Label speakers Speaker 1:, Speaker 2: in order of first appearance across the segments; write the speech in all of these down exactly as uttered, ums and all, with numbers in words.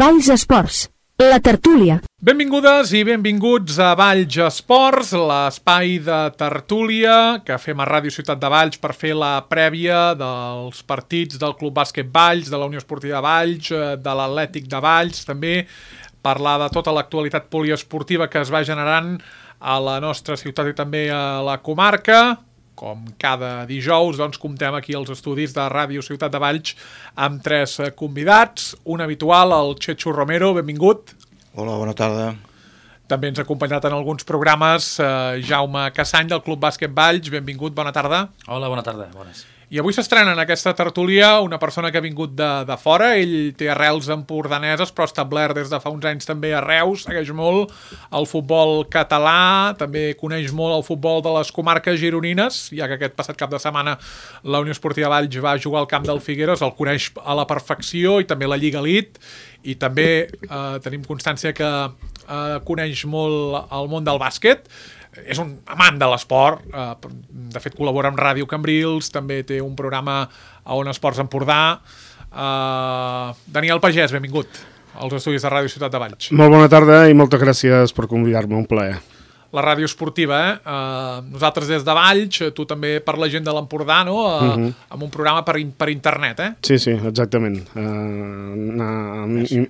Speaker 1: Valls Esports, la tertúlia.
Speaker 2: Benvingudes i benvinguts a Valls Esports, l'espai de tertúlia que fem a Ràdio Ciutat de Valls per fer la prèvia dels partits del Club Bàsquet Valls, de la Unió Esportiva Valls, de l'Atlètic de Valls, també parlar de tota l'actualitat poliesportiva que es va generant a la nostra ciutat i també a la comarca. Com cada dijous, doncs, comptem aquí als estudis de Ràdio Ciutat de Valls amb tres convidats. Un habitual, el Chechu Romero, benvingut.
Speaker 3: Hola, bona tarda.
Speaker 2: També ens ha acompanyat en alguns programes eh, Jaume Cassany, del Club Bàsquet Valls. Benvingut, bona tarda.
Speaker 4: Hola, bona tarda, bones.
Speaker 2: I avui s'estrena en aquesta tertúlia una persona que ha vingut de, de fora. Ell té arrels empordaneses, però establert des de fa uns anys també a Reus. Segueix molt el futbol català, també coneix molt el futbol de les comarques gironines, ja que aquest passat cap de setmana la Unió Esportiva Valls va jugar al camp del Figueres, el coneix a la perfecció, i també la Lliga Elite, i també eh, tenim constància que eh, coneix molt el món del bàsquet. És un amant de l'esport, eh, de fet col·labora amb Ràdio Cambrils, també té un programa a On Esports Empordà. Eh, Daniel Pagès, benvingut als estudis de Ràdio Ciutat de Valls.
Speaker 5: Molt bona tarda i moltes gràcies per convidar-me, un plaer.
Speaker 2: La ràdio esportiva, eh? Uh, nosaltres des de Valls, tu també per la gent de l'Empordà, no? Uh, uh-huh. Amb un programa per, per internet, eh?
Speaker 5: Sí, sí, exactament. Uh, una in,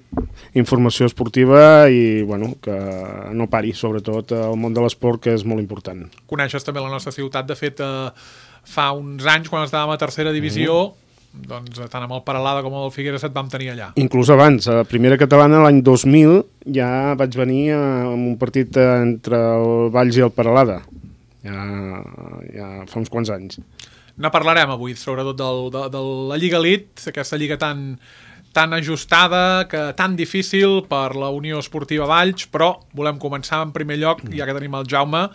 Speaker 5: informació esportiva i, bueno, que no pari, sobretot el món de l'esport, que és molt important.
Speaker 2: Coneixes també la nostra ciutat, de fet, uh, fa uns anys, quan estàvem a tercera divisió, uh-huh. doncs tant amb el Peralada com amb el Figueres et vam tenir allà.
Speaker 5: Inclús abans, a la primera catalana, l'any dos mil, ja vaig venir amb un partit entre el Valls i el Peralada. Ja, ja fa uns quants anys.
Speaker 2: Ne parlarem avui, sobretot del, de, de la Lliga Elite, aquesta lliga tan, tan ajustada, que tan difícil per la Unió Esportiva Valls, però volem començar en primer lloc, ja que tenim el Jaume,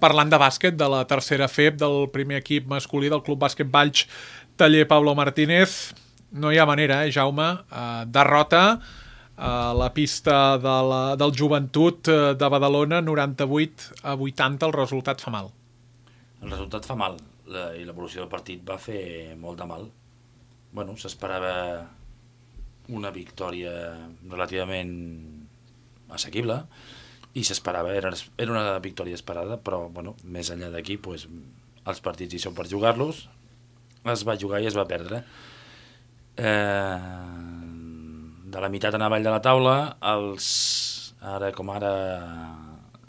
Speaker 2: parlant de bàsquet, de la tercera F E B, del primer equip masculí del Club Bàsquet Valls, Taller Pablo Martínez. No hi ha manera, eh, Jaume? Uh, derrota a la pista de la, del Joventut de Badalona, noranta-vuit a vuitanta, el resultat fa mal.
Speaker 4: El resultat fa mal, la, i l'evolució del partit va fer molt de mal. Bueno, s'esperava una victòria relativament assequible, i s'esperava, era, era una victòria esperada, però, bueno, més enllà d'aquí, pues, els partits hi són per jugar-los, es va jugar i es va perdre. Eh, de la meitat en avall de la taula, els, ara com ara,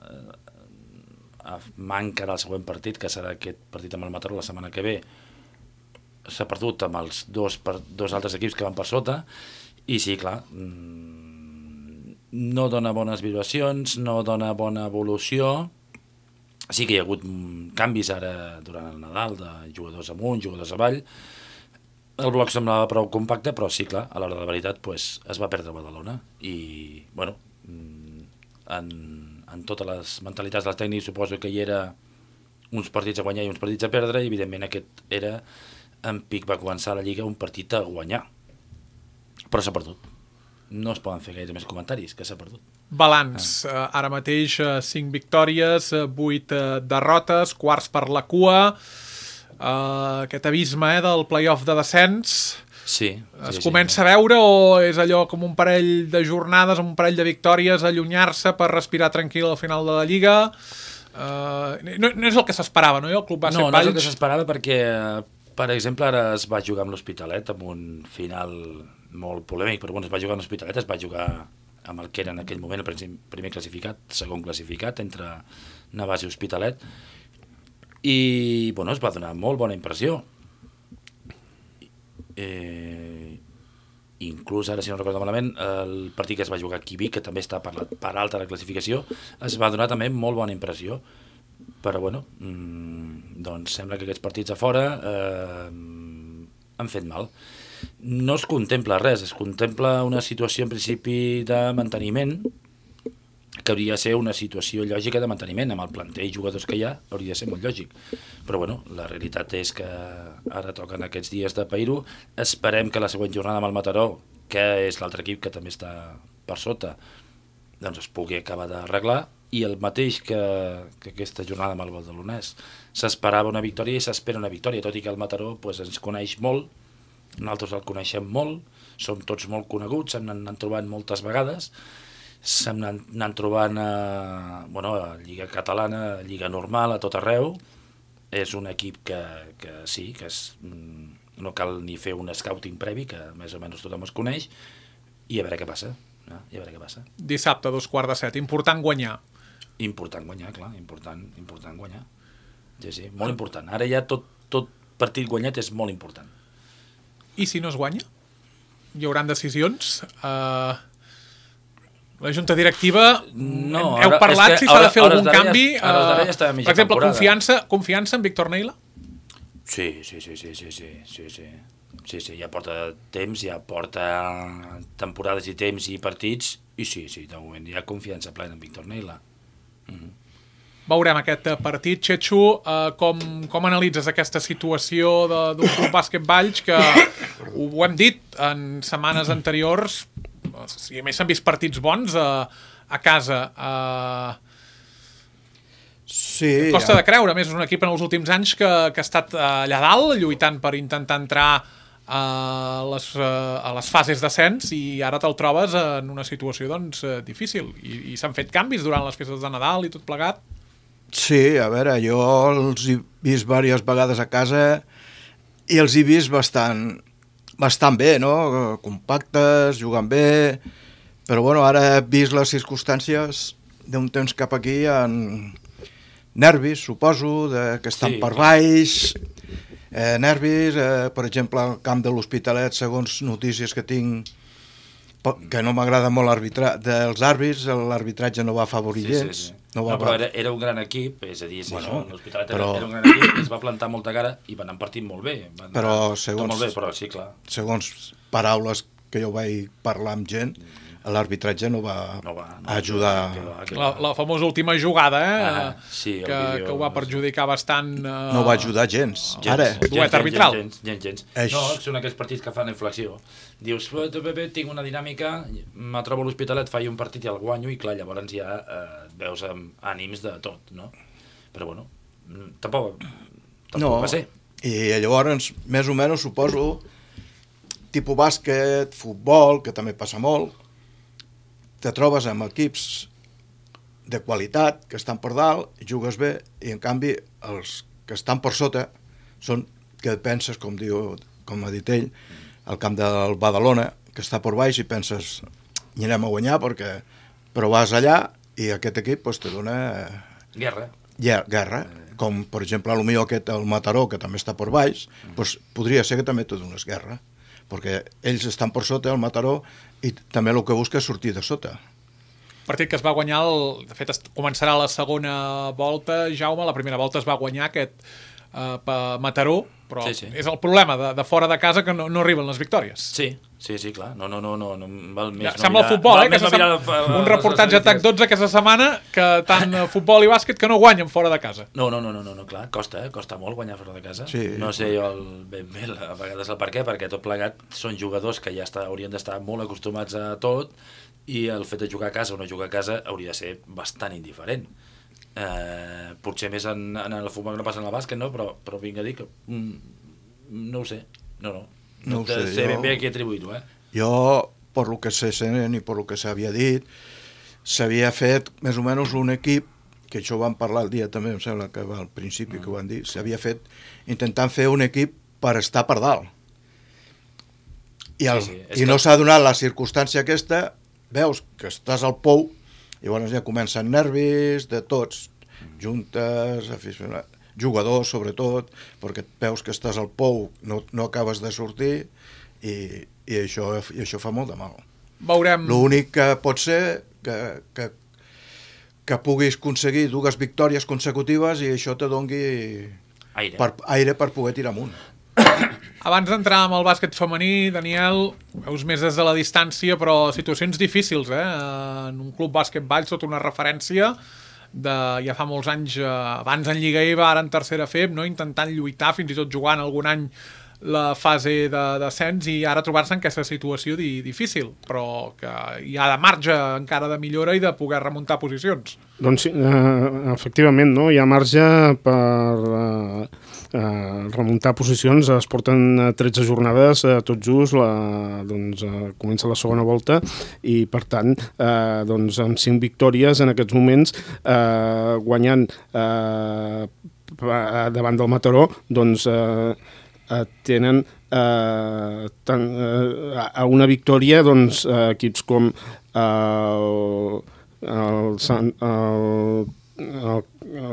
Speaker 4: eh, manca del següent partit, que serà aquest partit amb el Mataró la setmana que ve, s'ha perdut amb els dos, per, dos altres equips que van per sota, i sí, clar, no dona bones vibracions, no dona bona evolució. Sí que hi ha hagut canvis ara durant el Nadal, de jugadors amunt, jugadors avall. El bloc semblava prou compacte, però sí, clar, a l'hora de la veritat pues, es va perdre a Badalona. I, bueno, en, en totes les mentalitats dels tècnics suposo que hi era uns partits a guanyar i uns partits a perdre, i evidentment aquest era, en pic va començar la Lliga, un partit a guanyar. Però s'ha perdut. No es poden fer gaire més comentaris, que s'ha perdut.
Speaker 2: Balanç, ah. ara mateix cinc victòries, vuit derrotes, quarts per la cua, uh, aquest abisme eh, del play-off de descens.
Speaker 4: Sí.
Speaker 2: Es
Speaker 4: sí,
Speaker 2: comença
Speaker 4: sí.
Speaker 2: a veure, o és allò com un parell de jornades, un parell de victòries, allunyar-se per respirar tranquil al final de la Lliga? Uh, no, no és el que s'esperava, no? El Club Bàsquet
Speaker 4: no, no
Speaker 2: Valls...
Speaker 4: és el que s'esperava perquè, per exemple, ara es va jugar amb l'Hospitalet, amb un final molt polèmic, però bueno, es va jugar amb l'Hospitalet, es va jugar amb el que era en aquell moment el primer classificat, segon classificat, entre Navàs i Hospitalet, i bueno, es va donar molt bona impressió. Eh, inclús, ara si no recordo malament, el partit que es va jugar aquí a Vic, que també està per, la, per alta la classificació, es va donar també molt bona impressió. Però bueno, mmm, doncs sembla que aquests partits a fora eh, han fet mal. No es contempla res, es contempla una situació en principi de manteniment, que hauria de ser una situació lògica de manteniment, amb el planter i jugadors que hi ha, hauria de ser molt lògic. Però bueno, la realitat és que ara toquen aquests dies de pair-ho, esperem que la següent jornada amb el Mataró, que és l'altre equip que també està per sota, doncs es pugui acabar d'arreglar, i el mateix que, que aquesta jornada amb el Badalonès. S'esperava una victòria i s'espera una victòria, tot i que el Mataró pues, ens coneix molt, nosaltres el coneixem molt, som tots molt coneguts, se'm n'han trobat moltes vegades, se'm n'han trobant a, bueno, a Lliga Catalana, a Lliga Normal, a tot arreu. És un equip que, que sí, que és, no cal ni fer un scouting previ, que més o menys tothom es coneix, i a veure què passa. No? I a veure què passa.
Speaker 2: Dissabte, dos quarts de set. Important guanyar.
Speaker 4: Important guanyar, clar, important, important guanyar. Sí, sí, molt important. Ara ja tot, tot partit guanyat és molt important.
Speaker 2: I si no es guanya? Hi haurà decisions? Uh, la junta directiva,
Speaker 4: no,
Speaker 2: heu
Speaker 4: ara,
Speaker 2: parlat si s'ha de fer algun
Speaker 4: darrere,
Speaker 2: canvi?
Speaker 4: Uh,
Speaker 2: uh, per exemple, confiança, confiança en Víctor Neila?
Speaker 4: Sí, sí, sí, sí, sí, sí, sí, sí. Sí, sí, ja porta temps, ja porta temporades i temps i partits, i sí, sí, de moment hi ha confiança plena en Víctor Neila. Mm-hmm.
Speaker 2: Veurem aquest partit. Txetxo, eh, com, com analitzes aquesta situació d'un club bàsquet Valls que ho, ho hem dit en setmanes anteriors, si a més s'han vist partits bons a, a casa. Eh,
Speaker 3: sí,
Speaker 2: costa
Speaker 3: ja.
Speaker 2: de creure, a més és un equip en els últims anys que, que ha estat allà dalt lluitant per intentar entrar a les, a les fases d'ascens i ara te'l trobes en una situació doncs, difícil i, i s'han fet canvis durant les festes de Nadal i tot plegat.
Speaker 3: Sí, a veure, jo els he vist diverses vegades a casa i els he vist bastant, bastant bé, no? Compactes, jugant bé, però bueno, ara he vist les circumstàncies d'un temps cap aquí en nervis, suposo, de, que estan sí, per baix, eh, nervis, eh, per exemple, al camp de l'Hospitalet, segons notícies que tinc, que no m'agrada molt l'arbitratge dels àrbits, l'arbitratge no va afavorir
Speaker 4: sí,
Speaker 3: gens.
Speaker 4: Sí, sí.
Speaker 3: No,
Speaker 4: no, però era, era un gran equip, és a dir, si
Speaker 3: bueno,
Speaker 4: això, l'Hospitalet
Speaker 3: però...
Speaker 4: era un gran equip, es va plantar molta cara i van partir molt bé. Van
Speaker 3: però segons,
Speaker 4: molt bé, però sí, clar.
Speaker 3: Segons paraules que jo vaig parlar amb gent, l'arbitratge no va,
Speaker 4: no va no,
Speaker 3: ajudar.
Speaker 4: Que va, que
Speaker 2: la, la famosa última jugada, eh?
Speaker 4: Ah, sí,
Speaker 2: que,
Speaker 4: vídeo,
Speaker 2: que ho va perjudicar bastant. Eh...
Speaker 3: No va ajudar gens.
Speaker 4: gens
Speaker 3: Ara.
Speaker 2: Duet arbitral.
Speaker 4: Gens, gens, gens.
Speaker 3: Eix...
Speaker 4: No, són aquells partits que fan inflexió. Dius, tinc una dinàmica, me trobo a l'Hospitalet, faig un partit i el guanyo, i clar, llavors ja eh, veus amb ànims de tot, no? Però bueno, tampoc, tampoc
Speaker 3: no,
Speaker 4: va ser.
Speaker 3: I llavors, més o menys, suposo, tipus bàsquet, futbol, que també passa molt, te trobes amb equips de qualitat que estan per dalt, jugues bé, i en canvi els que estan per sota són que penses, com diu, com ha dit ell, al camp del Badalona, que està per baix i penses, hi anem a guanyar, perquè... però vas allà i aquest equip pues, te dona...
Speaker 4: Guerra.
Speaker 3: Guerra. Com, per exemple, potser aquest, el Mataró, que també està per baix, pues, podria ser que també te dones guerra, perquè ells estan per sota, el Mataró, i també el que busca és sortir de sota.
Speaker 2: Partit que es va guanyar, el, de fet es, començarà la segona volta, Jaume, la primera volta es va guanyar aquest eh, Mataró, però
Speaker 4: sí, sí. És
Speaker 2: el problema de, de fora de casa que no, no arriben les victòries.
Speaker 4: Sí, sí, sí, clar, no, no, no, no, no val més
Speaker 2: ja,
Speaker 4: no
Speaker 2: sembla
Speaker 4: mirar,
Speaker 2: el futbol, eh, que
Speaker 4: no
Speaker 2: sem...
Speaker 4: mirar,
Speaker 2: un reportatge a T A C dotze aquesta setmana que tant futbol i bàsquet que no guanyen fora de casa.
Speaker 4: No, no, no, no, no, no clar, costa, eh? Costa molt guanyar fora de casa.
Speaker 3: Sí.
Speaker 4: No sé jo el, ben bé a vegades el per què, perquè tot plegat són jugadors que ja està, haurien d'estar molt acostumats a tot i el fet de jugar a casa o no jugar a casa hauria de ser bastant indiferent. Eh, potser més en, en el futbol que no passa en el bàsquet, no? Però, però vinc a dir que mm, no ho sé, no, no.
Speaker 3: No ho sé,
Speaker 4: sé ben
Speaker 3: jo...
Speaker 4: bé a qui atribuir-ho, eh?
Speaker 3: Jo, per lo que sé i per lo que s'havia dit, s'havia fet més o menys un equip, que això ho vam parlar el dia també, em sembla que va al principi mm. que ho van dir, s'havia fet intentant fer un equip per estar per dalt. I, el, sí, sí. I no s'ha donat la circumstància aquesta, veus que estàs al pou, i llavors ja comencen nervis de tots, juntes, aficionats, jugadors sobretot, perquè veus que estàs al pou, no, no acabes de sortir, i, i, això, i això fa molt de mal.
Speaker 2: Veurem...
Speaker 3: L'únic que pot ser que, que, que puguis aconseguir dues victòries consecutives i això te dongui
Speaker 4: aire
Speaker 3: per, aire per poder tirar amunt.
Speaker 2: Abans d'entrar amb el bàsquet femení, Daniel, veus més des de la distància, però situacions difícils, eh? En un club bàsquet Valls, sota una referència de ja fa molts anys, abans en Lliga E V A, ara en tercera F E B, no? Intentant lluitar, fins i tot jugant algun any la fase d'ascens i ara trobar-se en aquesta situació di, difícil, però que hi ha de marge encara de millora i de poder remuntar posicions.
Speaker 5: Doncs sí, eh, efectivament, no? Hi ha marge per eh, eh, remuntar posicions. Es porten tretze jornades, eh, tot just, la, doncs, eh, comença la segona volta i, per tant, eh, doncs, amb cinc victòries en aquests moments, eh, guanyant eh, davant del Mataró, doncs eh, eh, tenen eh, tan, eh, a una victòria doncs, eh, equips com el, el, Sant, el, el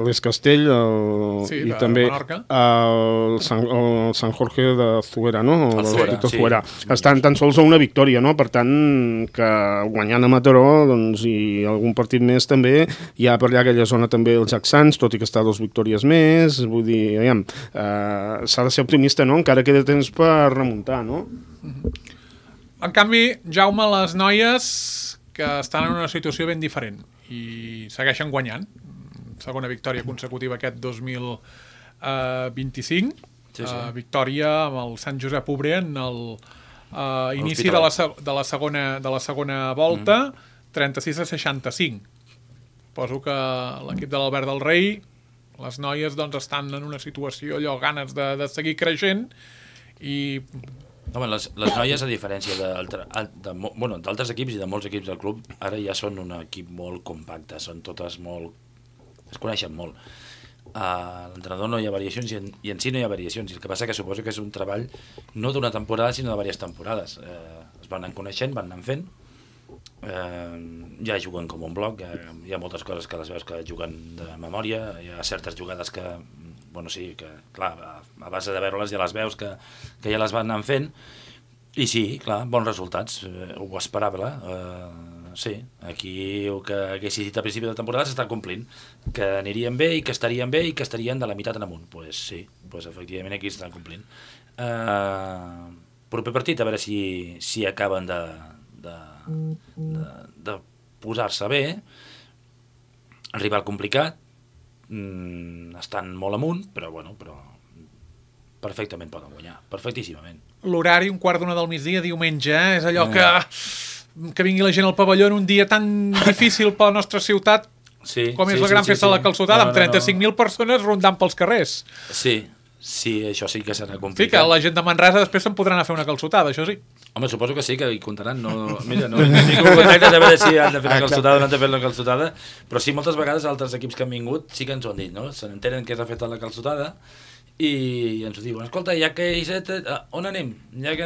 Speaker 5: l'Escastell el,
Speaker 2: sí,
Speaker 5: i també el Sant, el Sant Jorge de Zuera, no?
Speaker 4: El Zuera, sí.
Speaker 5: Zuera. Estan tan sols a una victòria, no? Per tant, que guanyant a Mataró, doncs, i algun partit més també, hi ha per allà aquella zona també els Jacksans, tot i que està a dos victòries més, vull dir, aviam, eh, s'ha de ser optimista, no? Encara queda temps per remuntar, no?
Speaker 2: En canvi, Jaume, les noies que estan en una situació ben diferent i segueixen guanyant. Segona victòria consecutiva aquest dos mil vint-i-cinc. Sí, sí. Uh, victòria amb el Sant Josep Obrer en el uh, inici de la, de, la segona, de la segona volta, mm. trenta-sis a seixanta-cinc. Poso que l'equip de l'Albert del Rei, les noies doncs, estan en una situació, allò, ganes de, de seguir creixent i...
Speaker 4: Home, les, les noies, a diferència d'altres de, bueno, equips i de molts equips del club, ara ja són un equip molt compacte, són totes molt... es coneixen molt. A l'entrenador no hi ha variacions i en, i en si no hi ha variacions. El que passa que suposo que és un treball no d'una temporada, sinó de diverses temporades. Eh, es van anar coneixent, van anar fent. Eh, ja juguen com un bloc, hi ha, hi ha moltes coses que les veus que juguen de memòria, hi ha certes jugades que, bueno, sí, que, clar, a, a base de veure-les ja les veus que, que ja les van anar fent. I sí, clar, bons resultats, eh, ho esperava, eh, sí, aquí el que haguessis dit a principi de temporada s'està complint, que anirien bé i que estarien bé i que estarien de la meitat en amunt. Doncs pues sí, pues efectivament aquí s'estan complint. Uh, proper partit, a veure si, si acaben de, de, de, de posar-se bé. Rival complicat, mm, estan molt amunt, però bueno, però perfectament poden guanyar, perfectíssimament.
Speaker 2: L'horari, un quart d'una del migdia, diumenge, eh? És allò que... que vingui la gent al pavelló en un dia tan difícil per la nostra ciutat
Speaker 4: sí,
Speaker 2: com és
Speaker 4: sí,
Speaker 2: la gran
Speaker 4: sí,
Speaker 2: festa
Speaker 4: sí,
Speaker 2: de la Calçotada,
Speaker 4: no,
Speaker 2: amb trenta-cinc mil no, no. persones rondant pels carrers.
Speaker 4: Sí, sí, això sí que serà complicat.
Speaker 2: Sí, que la gent de Manresa després se'n podran anar a fer una calçotada, això sí.
Speaker 4: Home, suposo que sí, que hi comptaran. No, mira, no tinc un contacte de veure si han de fer una calçotada o no han de fer una calçotada, però sí, moltes vegades altres equips que han vingut sí que ens ho han dit, no? Se n'entenen que és la festa de la calçotada i ens ho diuen, escolta, ja que hi set, on anem? Ja que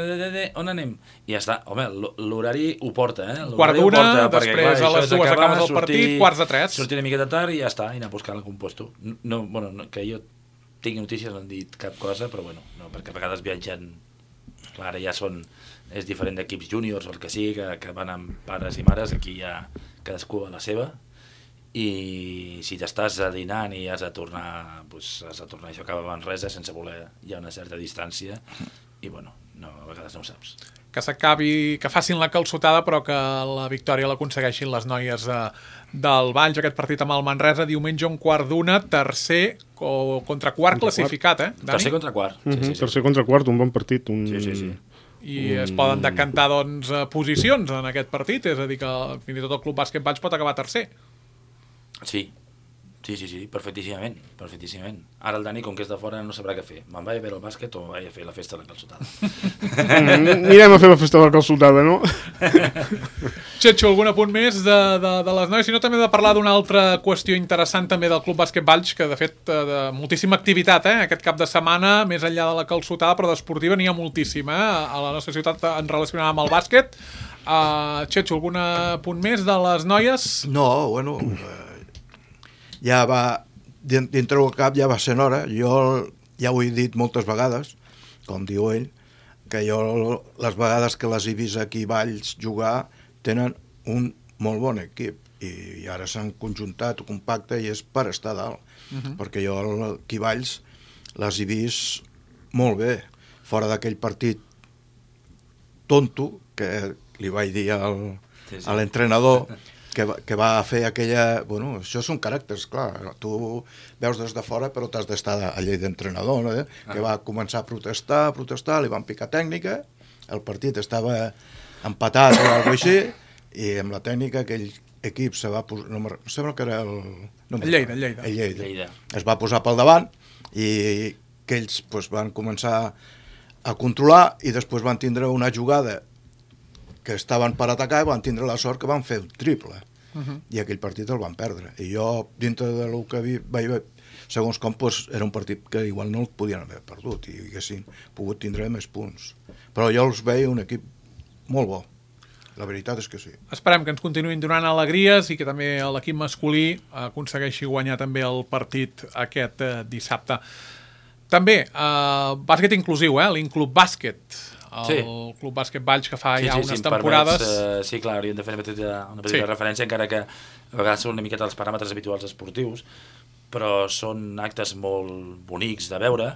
Speaker 4: on anem? I ja està, home, l'horari ho porta, eh?
Speaker 2: Quart d'una, després clar, a les dues acabes el partit, quarts de tres.
Speaker 4: Sortir una miqueta tard i ja està, i anar a buscar el composto. No, bueno, no, que jo tingui notícies no han dit cap cosa, però bueno, no, perquè a vegades viatgen, clar, ara ja són, és diferent d'equips júniors o el que sigui, que, que van amb pares i mares, aquí ja cadascú a la seva. I si t'estàs dinant i has de tornar, doncs has de tornar, això acaba a Manresa sense voler, hi ha una certa distància i bueno, no, a vegades no ho saps.
Speaker 2: Que s'acabi, que facin la calçotada però que la victòria l'aconsegueixin les noies eh, del Valls, aquest partit amb el Manresa, diumenge un quart d'una, tercer o contra quart contra classificat, eh, Dani?
Speaker 4: Tercer contra quart.
Speaker 5: Mm -hmm,
Speaker 4: sí, sí, sí.
Speaker 5: Tercer contra quart, un bon partit. Un...
Speaker 4: Sí, sí, sí.
Speaker 2: I es poden decantar doncs, posicions en aquest partit, és a dir que fins i tot el Club Bàsquet Valls pot acabar tercer.
Speaker 4: Sí, sí, sí, sí, perfectíssimament, perfectíssimament. Ara el Dani, com que és de fora, no sabrà què fer. Me'n vaig a veure el bàsquet o vaig a fer la festa de la calçotada.
Speaker 5: Anirem a fer la festa de la calçotada, no?
Speaker 2: Xetxo, algun apunt més de, de, de les noies? Si no, també de parlar d'una altra qüestió interessant també del Club Bàsquet Valls, que de fet de moltíssima activitat, eh? Aquest cap de setmana, més enllà de la calçotada, però d'esportiva n'hi ha moltíssima, eh? A la nostra ciutat en relacionada amb el bàsquet. Uh, Xetxo, algun punt més de les noies?
Speaker 3: No, bueno... ja va, dintre del cap ja va ser hora, jo ja ho he dit moltes vegades, com diu ell, que jo les vegades que les he vist aquí a Valls jugar tenen un molt bon equip i ara s'han conjuntat compacte i és per estar dalt, uh -huh. perquè jo aquí a Valls les he vist molt bé, fora d'aquell partit tonto que li vaig dir al, sí, sí. a l'entrenador Que va, que va fer aquella... Bueno, això són caràcters, clar. Tu veus des de fora, però t'has d'estar a llei d'entrenador, no? Eh? Ah. Que va començar a protestar, a protestar, li van picar tècnica, el partit estava empatat o alguna cosa així, i amb la tècnica aquell equip se va posar... No, em sembla que era el... No,
Speaker 2: el Lleida, el Lleida.
Speaker 3: El Lleida. Lleida. Es va posar pel davant i que ells pues, van començar a controlar i després van tindre una jugada que estaven per atacar i van tindre la sort que van fer un triple. Uh-huh. I aquell partit el van perdre. I jo, dintre del que vi, vaig veure, segons com, pues, era un partit que igual no el podien haver perdut i haguessin pogut tindre més punts. Però jo els veia un equip molt bo. La veritat és que sí.
Speaker 2: Esperem que ens continuïn donant alegries i que també l'equip masculí aconsegueixi guanyar també el partit aquest eh, dissabte. També, eh, bàsquet inclusiu, eh? l'Inclub Bàsquet, el sí. Club Bàsquet Valls, que fa
Speaker 4: sí,
Speaker 2: ja
Speaker 4: sí,
Speaker 2: unes
Speaker 4: sí,
Speaker 2: temporades...
Speaker 4: Permets, uh, sí, clar, hauríem de fer una petita, una petita sí. referència, encara que a vegades són una miqueta els paràmetres habituals esportius, però són actes molt bonics de veure,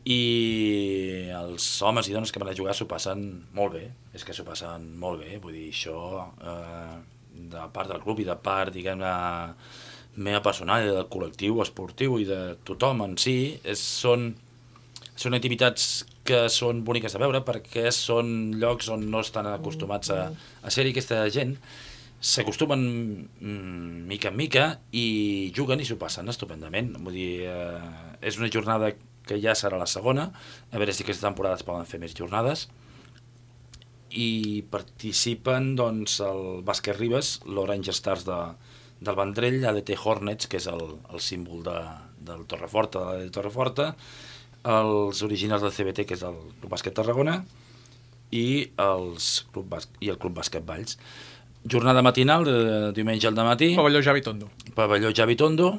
Speaker 4: i els homes i dones que van a jugar s'ho passen molt bé, és que s'ho passen molt bé, vull dir, això eh, de part del club i de part, diguem-ne, meva personal, del col·lectiu esportiu i de tothom en si, és, són, són activitats que són boniques de veure perquè són llocs on no estan acostumats a, a ser-hi. Aquesta gent s'acostumen mm, mica en mica i juguen i s'ho passen estupendament. Vull dir, eh, és una jornada que ja serà la segona, a veure si aquesta temporada es poden fer més jornades, i participen doncs, el Bàsquet Ribes, l'Orange Stars de, del Vendrell, A D T Hornets, que és el, el símbol de, del Torreforta, de la Torreforta, els originals del C B T, que és el Club Bàsquet Tarragona, i, els Club Bas- i el Club Bàsquet Valls. Jornada matinal, de diumenge al dematí.
Speaker 2: Pavelló Javi Tondo.
Speaker 4: Pavelló Javi Tondo.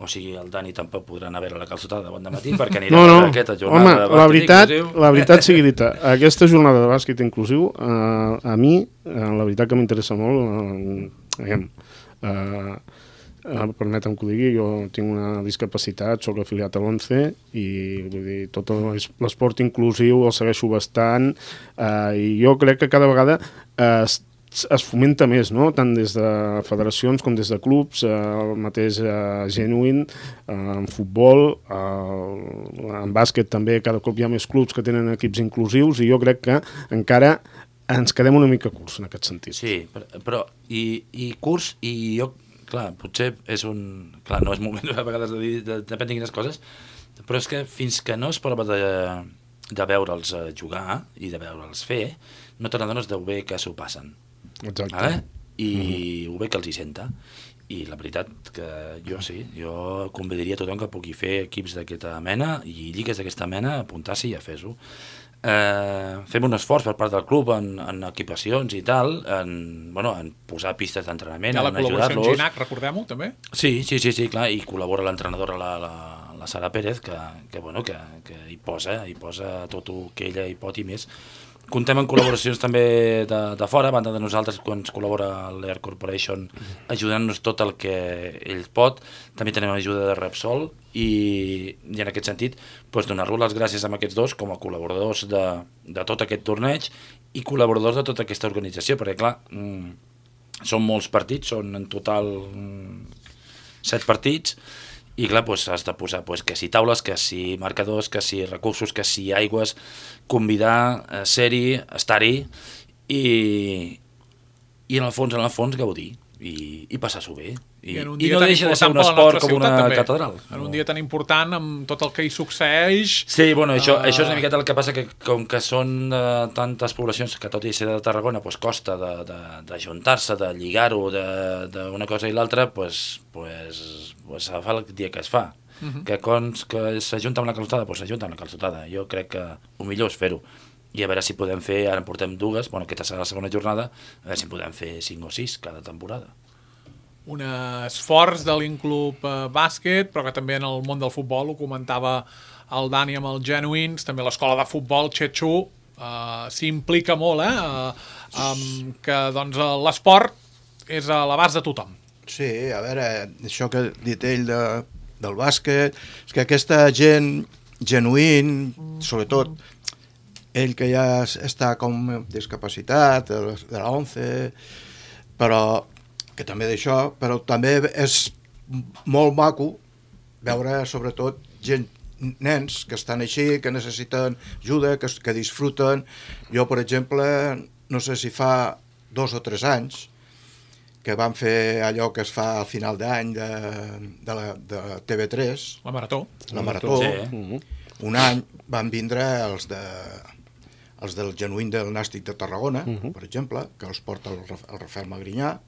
Speaker 4: O sigui, el Dani tampoc podrà anar a veure la calçotada de bon dematí perquè anirà
Speaker 5: no, no.
Speaker 4: a aquesta jornada
Speaker 5: Home,
Speaker 4: de bàsquet
Speaker 5: la veritat,
Speaker 4: inclusiu.
Speaker 5: la veritat sigui dita, aquesta jornada de bàsquet inclusiu, eh, a mi, eh, la veritat que m'interessa molt, eh, diguem, eh, eh, permetem que ho digui, jo tinc una discapacitat, soc afiliat a l'ONCE i vull dir, tot l'esport inclusiu el segueixo bastant, eh, i jo crec que cada vegada eh, es fomenta més, no? Tant des de federacions com des de clubs, eh, el mateix eh, Genuine, eh, en futbol, eh, en bàsquet també, cada cop hi ha més clubs que tenen equips inclusius i jo crec que encara ens quedem una mica curts en aquest sentit.
Speaker 4: Sí, però, però i, i curts, i jo, clar, potser és un... Clar, no és moment a vegades de dir, de, depèn de quines coses, però és que fins que no es prova de, de veure'ls jugar i de veure'ls fer, no te n'adones de bé que s'ho passen.
Speaker 5: Exacte.
Speaker 4: Vale? I
Speaker 5: Mm-hmm.
Speaker 4: ho bé que els hi senta. I la veritat que jo sí, jo convidaria a tothom que pugui fer equips d'aquesta mena i lligues d'aquesta mena, apuntar-s'hi i a fer-ho. Eh, fem un esforç per part del club en, en equipacions i tal, en, bueno, en posar pistes d'entrenament,
Speaker 2: Hi ha la
Speaker 4: en
Speaker 2: col·laboració amb
Speaker 4: ajudar-los.
Speaker 2: Ginac, recordem-ho, també?
Speaker 4: Sí, sí, sí, sí, clar, i col·labora l'entrenadora, la, la, la Sara Pérez, que, que, bueno, que, que hi posa, hi posa tot el que ella hi pot i més. Contem amb col·laboracions també de, de fora, a banda de nosaltres, quan ens col·labora l'Air Corporation ajudant-nos tot el que ell pot. També tenim ajuda de Repsol i, i en aquest sentit doncs, donar-los les gràcies a aquests dos com a col·laboradors de, de tot aquest torneig i col·laboradors de tota aquesta organització, perquè clar, mmm, són molts partits, són en total mmm, set partits, i clar, doncs, has de posar doncs, que si taules, que si marcadors, que si recursos, que si aigües, convidar, eh, ser-hi, estar-hi i, i en el fons, en el fons, gaudir i, i passar-s'ho bé. I,
Speaker 2: I,
Speaker 4: i no deixa de ser un esport com una
Speaker 2: també.
Speaker 4: catedral.
Speaker 2: En un dia tan important, amb tot el que hi succeeix...
Speaker 4: Sí, bueno, això,
Speaker 2: uh...
Speaker 4: això és una miqueta el que passa, que com que són uh, tantes poblacions que tot i ser de Tarragona doncs costa d'ajuntar-se, de, de, de lligar-ho d'una cosa i l'altra, doncs, pues, pues, se fa el dia que es fa. Uh -huh. Que quan que s'ajunta amb la calçotada, doncs s'ajunta amb la calçotada. Jo crec que el millor és fer-ho. I a veure si podem fer, ara en portem dues, bueno, aquesta serà la segona jornada, a veure si podem fer cinc o sis cada temporada.
Speaker 2: Un esforç de l'Inclub eh, Bàsquet, però que també en el món del futbol, ho comentava el Dani amb els Genuïns, també l'escola de futbol, Xetxú, eh, s'implica molt, eh, eh, amb que doncs, l'esport és a l'abast de tothom.
Speaker 3: Sí, a veure, això que ha dit ell de, del bàsquet, és que aquesta gent genuïn, sobretot ell que ja està com discapacitat, de la ONCE, però que també d'això, però també és molt maco veure sobretot gent, nens que estan així, que necessiten ajuda, que, que disfruten. Jo, per exemple, no sé si fa dos o tres anys que vam fer allò que es fa al final d'any de, de, la, de T V tres,
Speaker 2: La marató.
Speaker 3: la marató,
Speaker 4: Sí.
Speaker 3: un any van vindre els de els del genuïn del Nàstic de Tarragona, uh -huh. per exemple, que els porta el, el Rafael Magrinyà,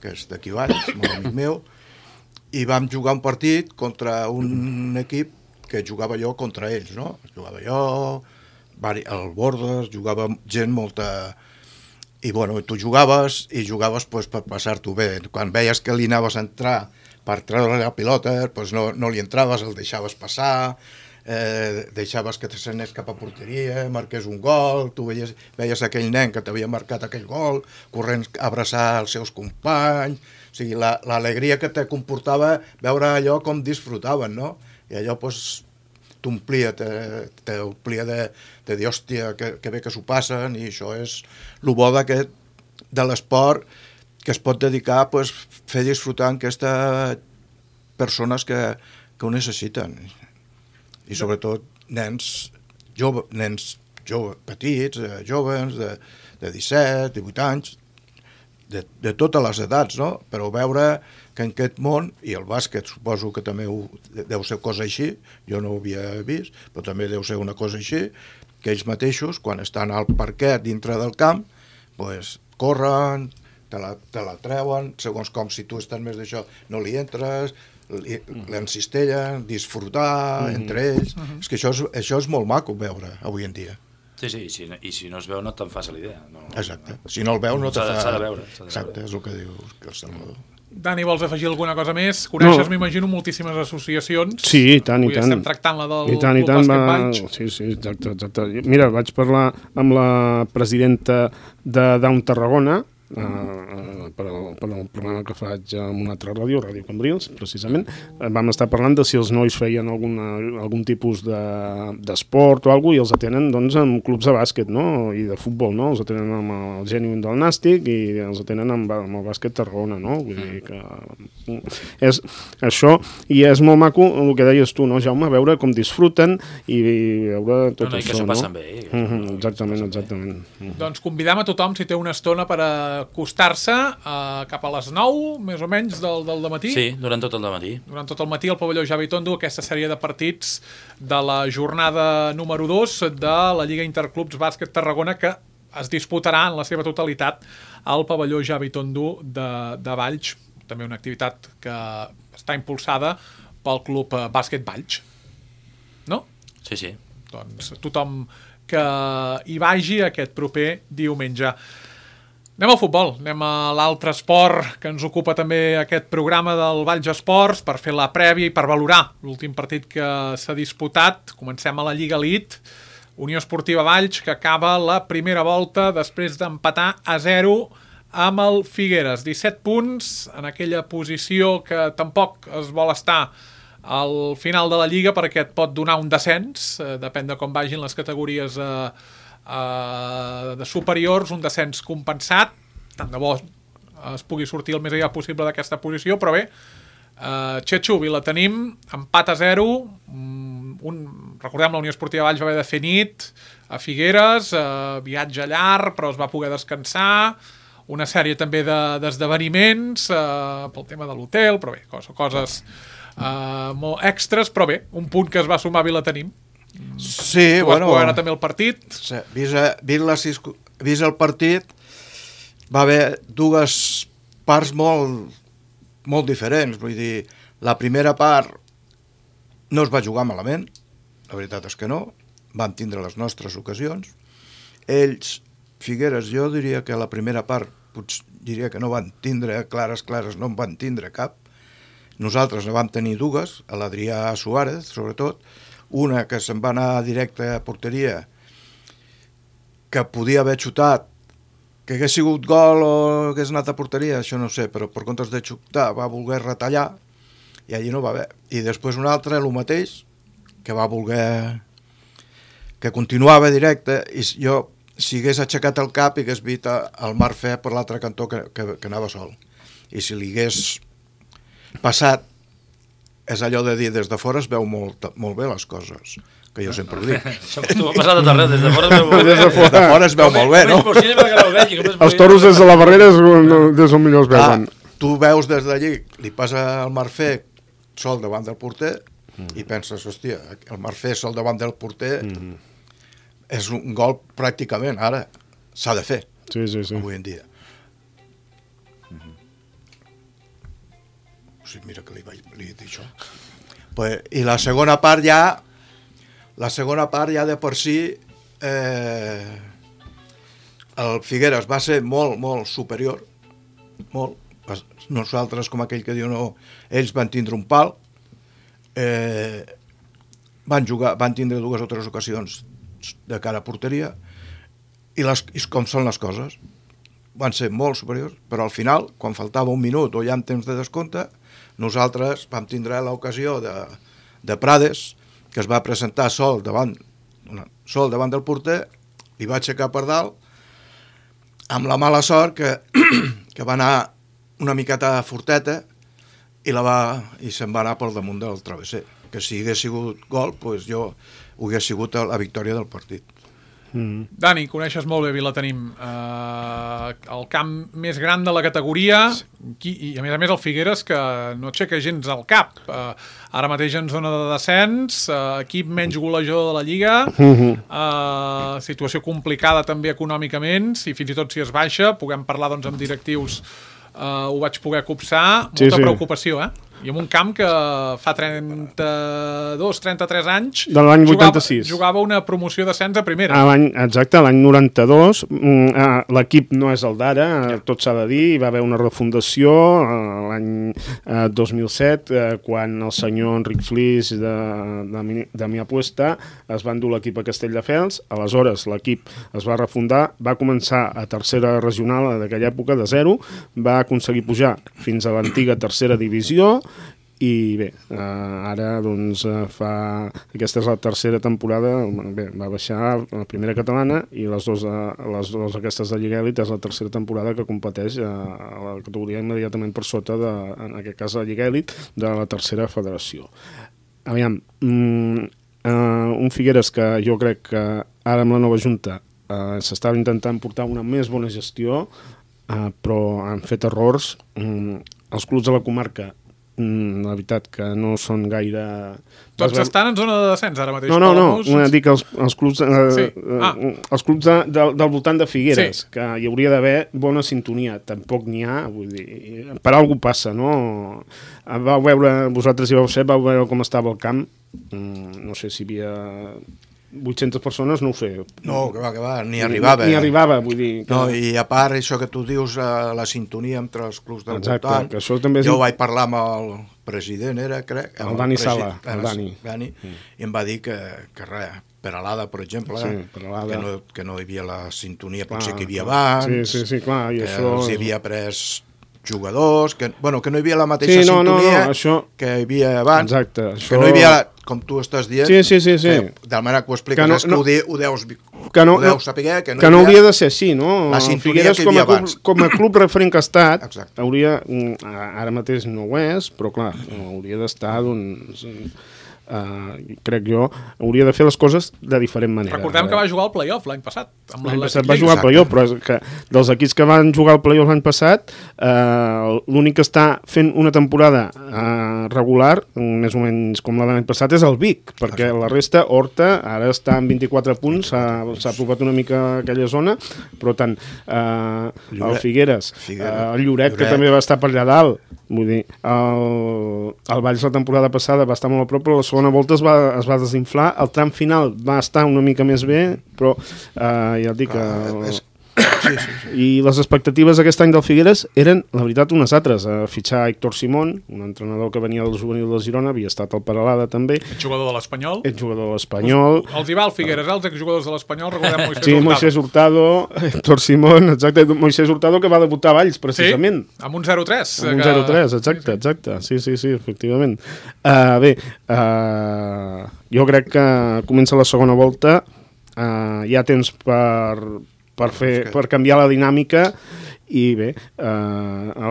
Speaker 3: que és d'aquí baix, molt amic meu, i vam jugar un partit contra un equip que jugava jo contra ells, no? Jugava jo, el Bordes, jugava gent molta... I bueno, tu jugaves i jugaves pues, per passar-t'ho bé. Quan veies que li anaves a entrar per treure la pilota, pues no, no li entraves, el deixaves passar, eh, deixaves que s'anés cap a porteria, marqués un gol, tu veies, veies aquell nen que t'havia marcat aquell gol, corrent a abraçar els seus companys, o sigui, l'alegria la, que te comportava veure allò com disfrutaven, no? I allò, pues, t'omplia, t'omplia de, de dir, hòstia, que, que bé que s'ho passen, i això és el bo d'aquest, de l'esport, que es pot dedicar a pues, fer disfrutar aquestes persones que, que ho necessiten. I sobretot nens, jove, nens jove, petits, eh, joves, de, de disset, divuit anys, de, de totes les edats, no? Però veure que en aquest món, i el bàsquet suposo que també ho, deu ser cosa així, jo no ho havia vist, però també deu ser una cosa així, que ells mateixos, quan estan al parquet dintre del camp, pues, corren, te la, te la treuen, segons com si tu estàs més d'això, no li entres, l'encistellen, disfrutar mm. entre ells. Mm-hmm. És que això és, això és molt maco veure avui en dia.
Speaker 4: Sí, sí, i si, i si no es veu no te'n fas l'idea. No,
Speaker 3: exacte, si no el veus no te fa...
Speaker 4: S'ha de veure.
Speaker 3: Exacte, és el que diu el Salvador.
Speaker 2: Dani, vols afegir alguna cosa més? Coneixes, no. m'imagino, moltíssimes associacions.
Speaker 5: Sí, i tant, i
Speaker 2: Avui
Speaker 5: tant.
Speaker 2: estem tractant la del
Speaker 5: I tant, i
Speaker 2: Club
Speaker 5: tant,
Speaker 2: Bàsquet
Speaker 5: va...
Speaker 2: Valls.
Speaker 5: Sí, sí, exacte, exacte. Mira, vaig parlar amb la presidenta de Down Tarragona, Uh, per, al, per al programa que faig en una altra ràdio, Ràdio Cambrils, precisament. Uh, vam estar parlant de si els nois feien alguna, algun tipus d'esport de, o alguna cosa, i els atenen doncs, en clubs de bàsquet, no? I de futbol, no? Els atenen amb el Genuïn del Nàstic i els atenen amb, amb el bàsquet Tarragona, no? Vull dir que és això, i és molt maco el que deies tu, no, Jaume? Veure com disfruten i, i veure tot
Speaker 4: no, no,
Speaker 5: això,
Speaker 4: que s'ho
Speaker 5: no?
Speaker 4: passen bé. Eh?
Speaker 5: Uh -huh, exactament, exactament. Uh -huh.
Speaker 2: Doncs convidam a tothom, si té una estona, per a acostar-se uh, cap a les nou, més o menys, del, del dematí.
Speaker 4: Sí, durant tot el dematí. Durant
Speaker 2: tot el matí al pavelló Javi Tondo, aquesta sèrie de partits de la jornada número dos de la Lliga Interclubs Bàsquet Tarragona, que es disputarà en la seva totalitat al pavelló Javi Tondo de, de Valls. També una activitat que està impulsada pel Club Bàsquet Valls. No?
Speaker 4: Sí, sí.
Speaker 2: Doncs tothom que hi vagi aquest proper diumenge. Anem al futbol, anem a l'altre esport que ens ocupa també aquest programa del Valls Esports per fer la prèvia i per valorar l'últim partit que s'ha disputat. Comencem a la Lliga Elite, Unió Esportiva Valls, que acaba la primera volta després d'empatar a zero amb el Figueres. disset punts en aquella posició que tampoc es vol estar al final de la Lliga perquè et pot donar un descens, eh, depèn de com vagin les categories eh, Uh, de superiors, un descens compensat, tant de bo es pugui sortir el més aviat possible d'aquesta posició, però bé, uh, Xetxubi la tenim, empat a zero, um, un, recordem, la Unió Esportiva Valls va haver de fer nit a Figueres, uh, viatge llarg, però es va poder descansar, una sèrie també d'esdeveniments de, uh, pel tema de l'hotel, però bé, coses, coses uh, molt extres, però bé, un punt que es va sumar i la tenim.
Speaker 3: Sí,
Speaker 2: tu
Speaker 3: bueno...
Speaker 2: vas poder anar també el partit.
Speaker 3: Sí, vist, vist, la, vist el partit, va haver dues parts molt, molt diferents. Vull dir, la primera part no es va jugar malament, la veritat és que no, vam tindre les nostres ocasions. Ells, Figueres, jo diria que la primera part, potser diria que no van tindre clares, clares, no en van tindre cap. Nosaltres ne vam tenir dues, a l'Adrià Suárez, sobretot, una que se'n va anar directe a porteria, que podia haver xutat, que hagués sigut gol o hagués anat a porteria, això no sé, però per comptes de xutar va voler retallar i allí no va haver. I després una altra, el mateix, que va voler... que continuava directe, i jo, si hagués aixecat el cap, hagués vist el Marfè per l'altre cantó que, que, que anava sol. I si li hagués passat, és allò de dir, des de fora es veu molt, molt bé les coses, que jo sempre ho dic.
Speaker 4: Tu m'ha passat a tot arreu, des de fora es veu molt bé.
Speaker 5: Des de fora,
Speaker 3: des de fora es veu molt bé, no?
Speaker 5: Els toros des de la barrera és on millor es veuen.
Speaker 3: Ah, tu veus des d'allí, li passa el Marfè sol davant del porter, mm. i penses, hòstia, el Marfés al davant del porter mm. és un gol pràcticament, ara s'ha de fer,
Speaker 5: sí, sí, sí.
Speaker 3: avui en dia. Mm-hmm. O sigui, mira que li vaig li he dit això. Pues, I la segona part ja, la segona part ja de per si, eh, el Figueres va ser molt, molt superior, molt. Nosaltres, com aquell que diu no, ells van tindre un pal, eh, van jugar, van tindre dues o tres ocasions de cara a porteria, i, les, i com són les coses, van ser molt superiors, però al final, quan faltava un minut o ja en temps de descompte, nosaltres vam tindre l'ocasió de, de Prades, que es va presentar sol davant, sol davant del porter, li va aixecar per dalt, amb la mala sort que, que va anar una miqueta forteta i, la va, i se'n va anar per damunt del travesser. Que si hagués sigut gol, pues jo ho hagués sigut la victòria del partit.
Speaker 2: Mm. Dani, coneixes molt bé Vilatenim, uh, el camp més gran de la categoria, qui, i a més a més el Figueres, que no aixeca gens al cap. Uh, ara mateix en zona de descens, uh, equip menys golejador de la Lliga, uh, situació complicada també econòmicament, si fins i tot si es baixa, puguem parlar doncs, amb directius. Uh, ho vaig poder copsar, molta sí, sí. preocupació, eh? I en un camp que fa trenta-dos trenta-tres anys
Speaker 5: de l'any vuitanta-sis
Speaker 2: jugava, jugava una promoció d'ascens a primera.
Speaker 5: A l'any, exacte, l'any noranta-dos. L'equip no és el d'ara, ja. tot s'ha de dir. Hi va haver una refundació l'any dos mil set, quan el senyor Enric Flix de, de, de Mi Apuesta es va endur l'equip a Castelldefels. Aleshores l'equip es va refundar, va començar a tercera regional d'aquella època, de zero, va aconseguir pujar fins a l'antiga tercera divisió. I bé, eh, ara doncs eh, fa... Aquesta és la tercera temporada, bé, va baixar a la primera catalana i les dues, eh, les dues aquestes de Lliga Elit és la tercera temporada que competeix eh, a la categoria immediatament per sota, de, en aquest cas la Lliga Elit, de la tercera federació. Aviam, mm, eh, un Figueres que jo crec que ara amb la nova Junta eh, s'estava intentant portar una més bona gestió, eh, però han fet errors. Mm, els clubs de la comarca, la veritat que no són gaire...
Speaker 2: Tots estan en zona de descens ara mateix.
Speaker 5: No, no, no, no dic els, els clubs, eh, sí. ah. els clubs de, de, del voltant de Figueres, sí. que hi hauria d'haver bona sintonia, tampoc n'hi ha, vull dir, per algú passa, no? Vau veure, vosaltres hi vau ser, vau veure com estava el camp, no sé si hi havia... vuit-centes persones, no ho sé.
Speaker 3: No, que va, que va, ni arribava.
Speaker 5: Ni, ni arribava, vull dir... Que...
Speaker 3: No, i a part, això que tu dius, la sintonia entre els clubs del
Speaker 5: Exacte,
Speaker 3: voltant...
Speaker 5: Que això també és...
Speaker 3: Jo vaig parlar amb el president, era, crec...
Speaker 5: El, el Dani Sala, el Dani.
Speaker 3: Dani mm. I em va dir que, que res, Peralada, per exemple, sí, Peralada. Que, no, que no hi havia la sintonia, clar, potser que hi havia abans...
Speaker 5: Sí, sí, sí, clar, i
Speaker 3: que
Speaker 5: això...
Speaker 3: els hi havia pres... jugadors, que, bueno, que no hi havia la mateixa sí, no, sintonia no, no, això... que hi havia abans,
Speaker 5: exacte, això...
Speaker 3: que no hi havia, com tu estàs dient,
Speaker 5: sí, sí, sí, sí.
Speaker 3: Que, de la manera que ho expliques, que no, és que no, ho, de, ho deus,
Speaker 5: que no,
Speaker 3: ho deus saber, que no,
Speaker 5: que no havia, hauria de ser així, no?
Speaker 3: La sintonia que hi havia
Speaker 5: com a,
Speaker 3: abans.
Speaker 5: Com a club referent que ha estat,
Speaker 3: exacte.
Speaker 5: Hauria, ara mateix no ho és, però clar, hauria d'estar, doncs... Uh, crec jo, hauria de fer les coses de diferent manera.
Speaker 2: Recordem que va jugar al play-off l'any passat.
Speaker 5: L'any passat va jugar al play-off, però és que dels equips que van jugar al play-off l'any passat, uh, l'únic que està fent una temporada uh, regular, més o menys com la de l'any passat, és el Vic, perquè la resta, Horta, ara està amb vint-i-quatre punts, s'ha aprovat una mica a aquella zona, però tant uh, el Figueres, Figueres. Uh, el Lloret, Lloret, que també va estar per allà dalt, vull dir, el, el Valls la temporada passada va estar molt a prop, però la segona volta es va, es va desinflar, el tram final va estar una mica més bé, però eh, ja et dic que...
Speaker 3: Ah, sí, sí, sí.
Speaker 5: I les expectatives aquest any del Figueres eren, la veritat, unes altres. A fitxar Héctor Simón, un entrenador que venia del juvenil del Girona, havia estat al Peralada també.
Speaker 2: Ets jugador de l'Espanyol.
Speaker 5: Ets jugador de l'Espanyol.
Speaker 2: Els hi va el Figueres, els exjugadors de l'Espanyol, recordem Moisés
Speaker 5: sí,
Speaker 2: Hurtado.
Speaker 5: Moisés Hurtado, Héctor Simón, exacte, Moisés Hurtado que va debutar a Valls, precisament.
Speaker 2: Sí, amb un zero tres.
Speaker 5: Amb un que... zero tres, exacte, exacte. Sí, sí, sí, efectivament. Uh, bé, uh, jo crec que comença la segona volta, uh, hi ha temps per... Per, fer, per canviar la dinàmica i bé, eh,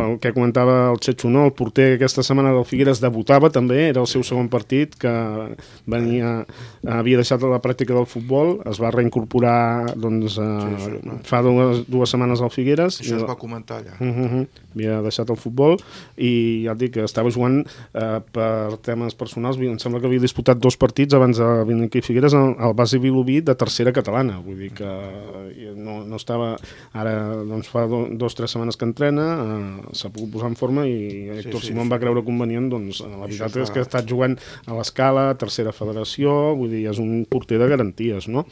Speaker 5: el que comentava el Xetxo, no? El porter aquesta setmana del Figueres debutava també, era el seu segon partit, que venia, havia deixat la pràctica del futbol, es va reincorporar doncs, eh, sí, sí, fa dues, dues setmanes al Figueres.
Speaker 3: Això
Speaker 5: i,
Speaker 3: es va comentar allà.
Speaker 5: Uh -huh, havia deixat el futbol i ja et dic que estava jugant eh, per temes personals, em sembla que havia disputat dos partits abans de venir aquí a Figueres al base Vilobí de tercera catalana, vull dir que no, no estava, ara doncs fa do, dos o tres setmanes que entrena, eh, s'ha pogut posar en forma i Héctor sí, sí, Simón sí. va creure convenient, doncs la veritat és que ha estat jugant a l'Escala, tercera federació, vull dir, és un porter de garanties, no?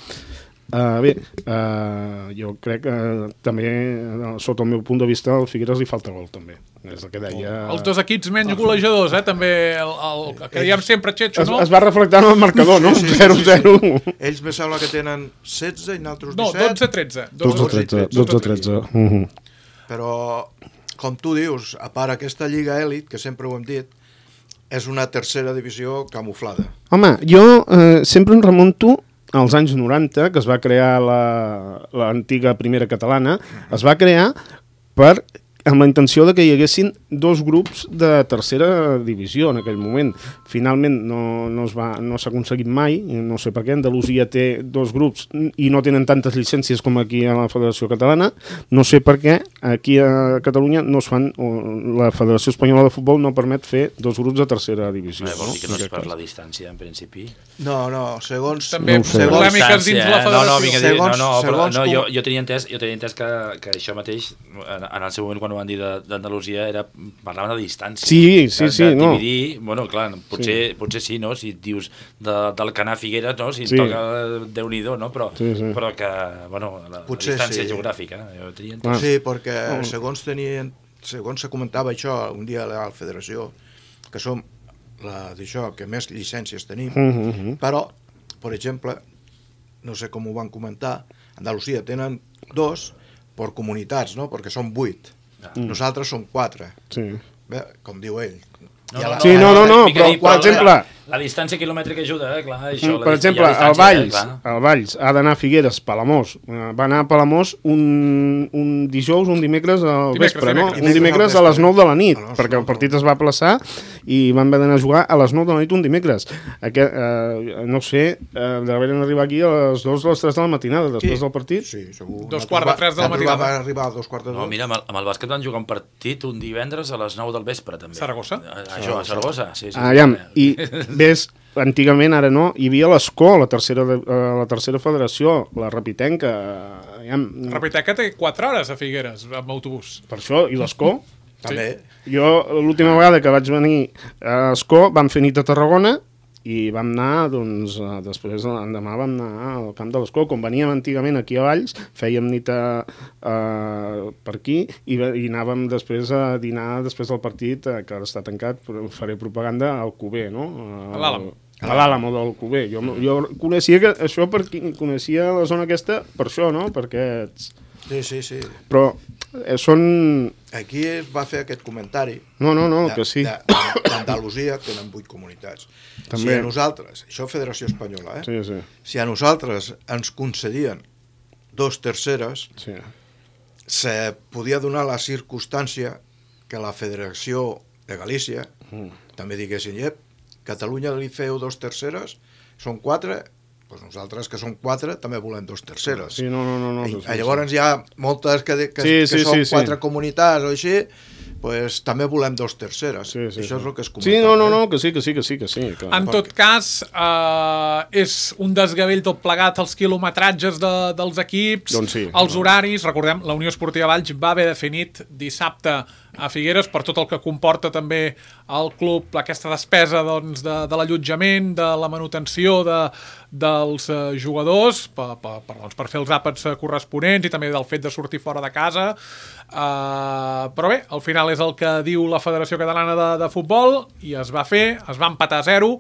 Speaker 5: Uh, bé, uh, jo crec que uh, també, uh, sota el meu punt de vista, al Figueres li falta gol, també. És el que deia...
Speaker 2: Els dos equips menys golejadors, eh? També el, el, el que diem sempre, Xetxo, no?
Speaker 5: Es, es va reflectar en el marcador, no?
Speaker 3: Sí, sí,
Speaker 5: zero zero.
Speaker 3: Sí, sí. Ells me sembla que tenen setze i nosaltres disset.
Speaker 2: No, dotze tretze.
Speaker 5: dotze tretze. Uh-huh.
Speaker 3: Però, com tu dius, a part aquesta Lliga Èlit, que sempre ho hem dit, és una tercera divisió camuflada.
Speaker 5: Home, jo eh, sempre em remunto als anys noranta, que es va crear l'antiga la, primera catalana, es va crear per, amb la intenció de que hi haguessin dos grups de tercera divisió en aquell moment. Finalment no, no es va, no s'ha aconseguit mai, no sé per què. Andalusia té dos grups i no tenen tantes llicències com aquí a la Federació Catalana. No sé per què aquí a Catalunya no es fan, la Federació Espanyola de Futbol no permet fer dos grups de tercera divisió.
Speaker 4: No, vol dir que no
Speaker 5: no?
Speaker 4: és per la distància, en principi?
Speaker 3: No, no, segons...
Speaker 2: També
Speaker 5: no
Speaker 2: segons polèmiques dins la Federació.
Speaker 4: No, no, vinga, segons, no, no,
Speaker 3: segons
Speaker 4: però, no
Speaker 3: com...
Speaker 4: jo, jo tenia entès, jo tenia entès que, que això mateix, en, en el seu moment, quan ho van dir d'Andalusia, era parlaven de distància.
Speaker 5: Sí, sí,
Speaker 4: de,
Speaker 5: sí.
Speaker 4: de
Speaker 5: no.
Speaker 4: dividir, bueno, clar, potser sí, potser sí no? Si et dius de, del Canà Figueres, no? Si et
Speaker 5: sí.
Speaker 4: toca Déu-n'hi-do, no? Però,
Speaker 5: sí, sí.
Speaker 4: però que, bueno, la, la distància sí. geogràfica, jo tenia entès.
Speaker 3: Ah. Sí, perquè segons tenien, segons se comentava això un dia a la Federació, que som la d'això que més llicències tenim,
Speaker 5: uh -huh.
Speaker 3: però, per exemple, no sé com ho van comentar, Andalusia tenen dos per comunitats, no? Perquè són vuit. Mm. Nosaltres som quatre.
Speaker 5: Sí.
Speaker 3: Bé, com diu ell.
Speaker 4: No, no,
Speaker 5: sí, no, no, no, però, per exemple...
Speaker 4: La, la distància quilomètrica ajuda, eh? Clar, això,
Speaker 5: per exemple, el Valls, el Valls ha d'anar a Figueres, Palamós. Va anar a Palamós un, un dijous, un dimecres al
Speaker 2: dimecres,
Speaker 5: vespre,
Speaker 2: dimecres.
Speaker 5: no? Un dimecres a les nou de la nit, perquè el partit es va aplaçar i van haver d'anar a jugar a les nou de la nit un dimecres. Aquest, eh, no sé, eh, devien arribar aquí a les dues o les tres de la matinada, després
Speaker 3: sí.
Speaker 5: del partit.
Speaker 3: Sí, segur.
Speaker 2: Dos quarts de tres de la matinada.
Speaker 3: Va arribar a dos quarts de dos.
Speaker 4: No, mira, amb el, amb el bàsquet van jugar un partit un divendres a les nou del vespre, també.
Speaker 2: Saragossa?
Speaker 4: Això, a Saragossa, sí, sí.
Speaker 5: Ah, ja, i ves, antigament, ara no, hi havia l'Escó, la tercera, la tercera federació, la Rapitenca. Ja,
Speaker 2: la Rapitenca té quatre hores a Figueres, amb autobús.
Speaker 5: Per això, i l'Escó?
Speaker 3: També.
Speaker 5: Sí. Jo, l'última vegada que vaig venir a Escó, vam fer nit a Tarragona i vam anar, doncs, després l'endemà vam anar al camp de l'Escó. Com veníem antigament aquí a Valls, fèiem nit a, a, per aquí i, i anàvem després a dinar després del partit, que ara està tancat, però faré propaganda al Cuber, no?
Speaker 2: A l'Àlamo.
Speaker 5: A l'Àlamo del Cuber. Jo, jo coneixia que, això per, coneixia la zona aquesta per això, no? Perquè...
Speaker 3: Sí, sí, sí.
Speaker 5: Però eh, són...
Speaker 3: Aquí es va fer aquest comentari.
Speaker 5: No, no, no,
Speaker 3: de,
Speaker 5: que sí.
Speaker 3: D'Andalusia tenen vuit comunitats.
Speaker 5: També.
Speaker 3: Si a nosaltres, això Federació Espanyola, eh?
Speaker 5: Sí, sí.
Speaker 3: Si a nosaltres ens concedien dos terceres,
Speaker 5: Sí.
Speaker 3: se podia donar la circumstància que la Federació de Galícia
Speaker 5: Mm.
Speaker 3: també diguessin, ep, Catalunya li feu dos terceres, són quatre, doncs nosaltres que som quatre també volem dos terceres.
Speaker 5: Sí, no, no, no. no
Speaker 3: I,
Speaker 5: sí,
Speaker 3: llavors
Speaker 5: sí.
Speaker 3: hi ha moltes que, que,
Speaker 5: Sí,
Speaker 3: que
Speaker 5: sí,
Speaker 3: són
Speaker 5: sí,
Speaker 3: quatre
Speaker 5: sí.
Speaker 3: comunitats o així, pues, també volem dos terceres.
Speaker 5: Sí, sí,
Speaker 3: Això
Speaker 5: sí.
Speaker 3: és el que es comentava.
Speaker 5: Sí, no, no,
Speaker 3: eh?
Speaker 5: no, que sí, que sí, que sí, que sí. Que...
Speaker 2: En tot cas, eh, és un desgavell tot plegat, els quilometratges de, dels equips,
Speaker 5: Doncs sí.
Speaker 2: els horaris. Recordem, la Unió Esportiva Valls va haver definit dissabte a Figueres per tot el que comporta també el club, aquesta despesa doncs, de, de l'allotjament, de la manutenció de, dels eh, jugadors, per, per, per, doncs, per fer els àpats corresponents i també del fet de sortir fora de casa. Uh, però bé, al final és el que diu la Federació Catalana de, de Futbol i es va fer, es va empatar a zero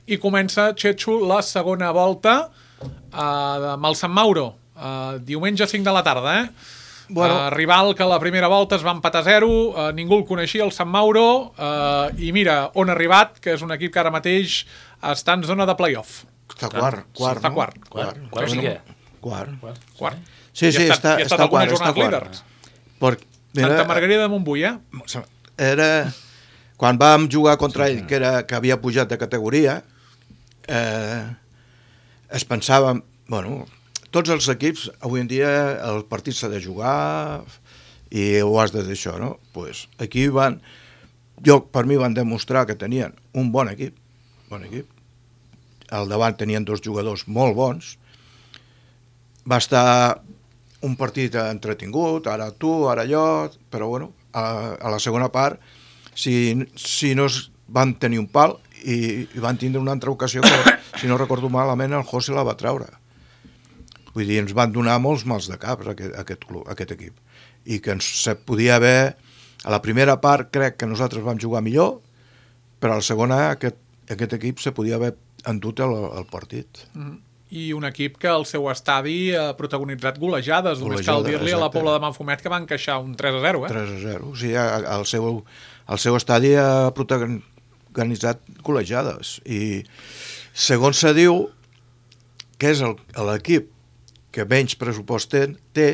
Speaker 2: i comença, Xetxo, la segona volta uh, amb el Sant Mauro, uh, diumenge cinc de la tarda, eh? Bueno. Uh, rival que la primera volta es va empatar a zero, uh, ningú el coneixia, el Sant Mauro, uh, i mira on ha arribat, que és un equip que ara mateix està en zona de play-off.
Speaker 3: Està quart, quart,
Speaker 2: està
Speaker 3: no?
Speaker 2: quart.
Speaker 4: Quart, quart,
Speaker 2: Sí,
Speaker 4: sí,
Speaker 2: no?
Speaker 4: què?
Speaker 3: Quart.
Speaker 2: Quart.
Speaker 3: Sí, sí,
Speaker 2: I ha estat,
Speaker 3: està,
Speaker 2: i ha estat
Speaker 3: està
Speaker 2: algunes
Speaker 3: quart, està
Speaker 2: jornades
Speaker 3: quart.
Speaker 2: líders.
Speaker 3: Per,
Speaker 2: Santa Margarida de Montbui, eh?
Speaker 3: Era... Quan vam jugar contra ell, que, era, que havia pujat de categoria, eh, es pensava... Bueno, tots els equips, avui en dia, el partit s'ha de jugar i ho has de deixar, no? Pues aquí van... Jo, per mi, van demostrar que tenien un bon equip, bon equip. Al davant tenien dos jugadors molt bons. Va estar un partit entretingut, ara tu, ara jo, però bueno, a, a la segona part, si, si no es van tenir un pal i, i van tindre una altra ocasió que, si no recordo malament, el José la va treure. Vull dir, ens van donar molts mals de cap aquest, aquest, club, aquest equip. I que ens se podia haver... A la primera part crec que nosaltres vam jugar millor, però a la segona aquest, aquest equip se podia haver endut el, el partit.
Speaker 2: Mm. I un equip que al seu estadi ha protagonitzat golejades, només cal
Speaker 3: Golejada,
Speaker 2: dir-li a la
Speaker 3: exacte.
Speaker 2: Pobla de Manfumet que van encaixar un tres a zero, eh?
Speaker 3: tres a zero. O sigui, el seu, el seu estadi ha protagonitzat golejades. I segons se diu que és el- l'equip que menys pressupost té, té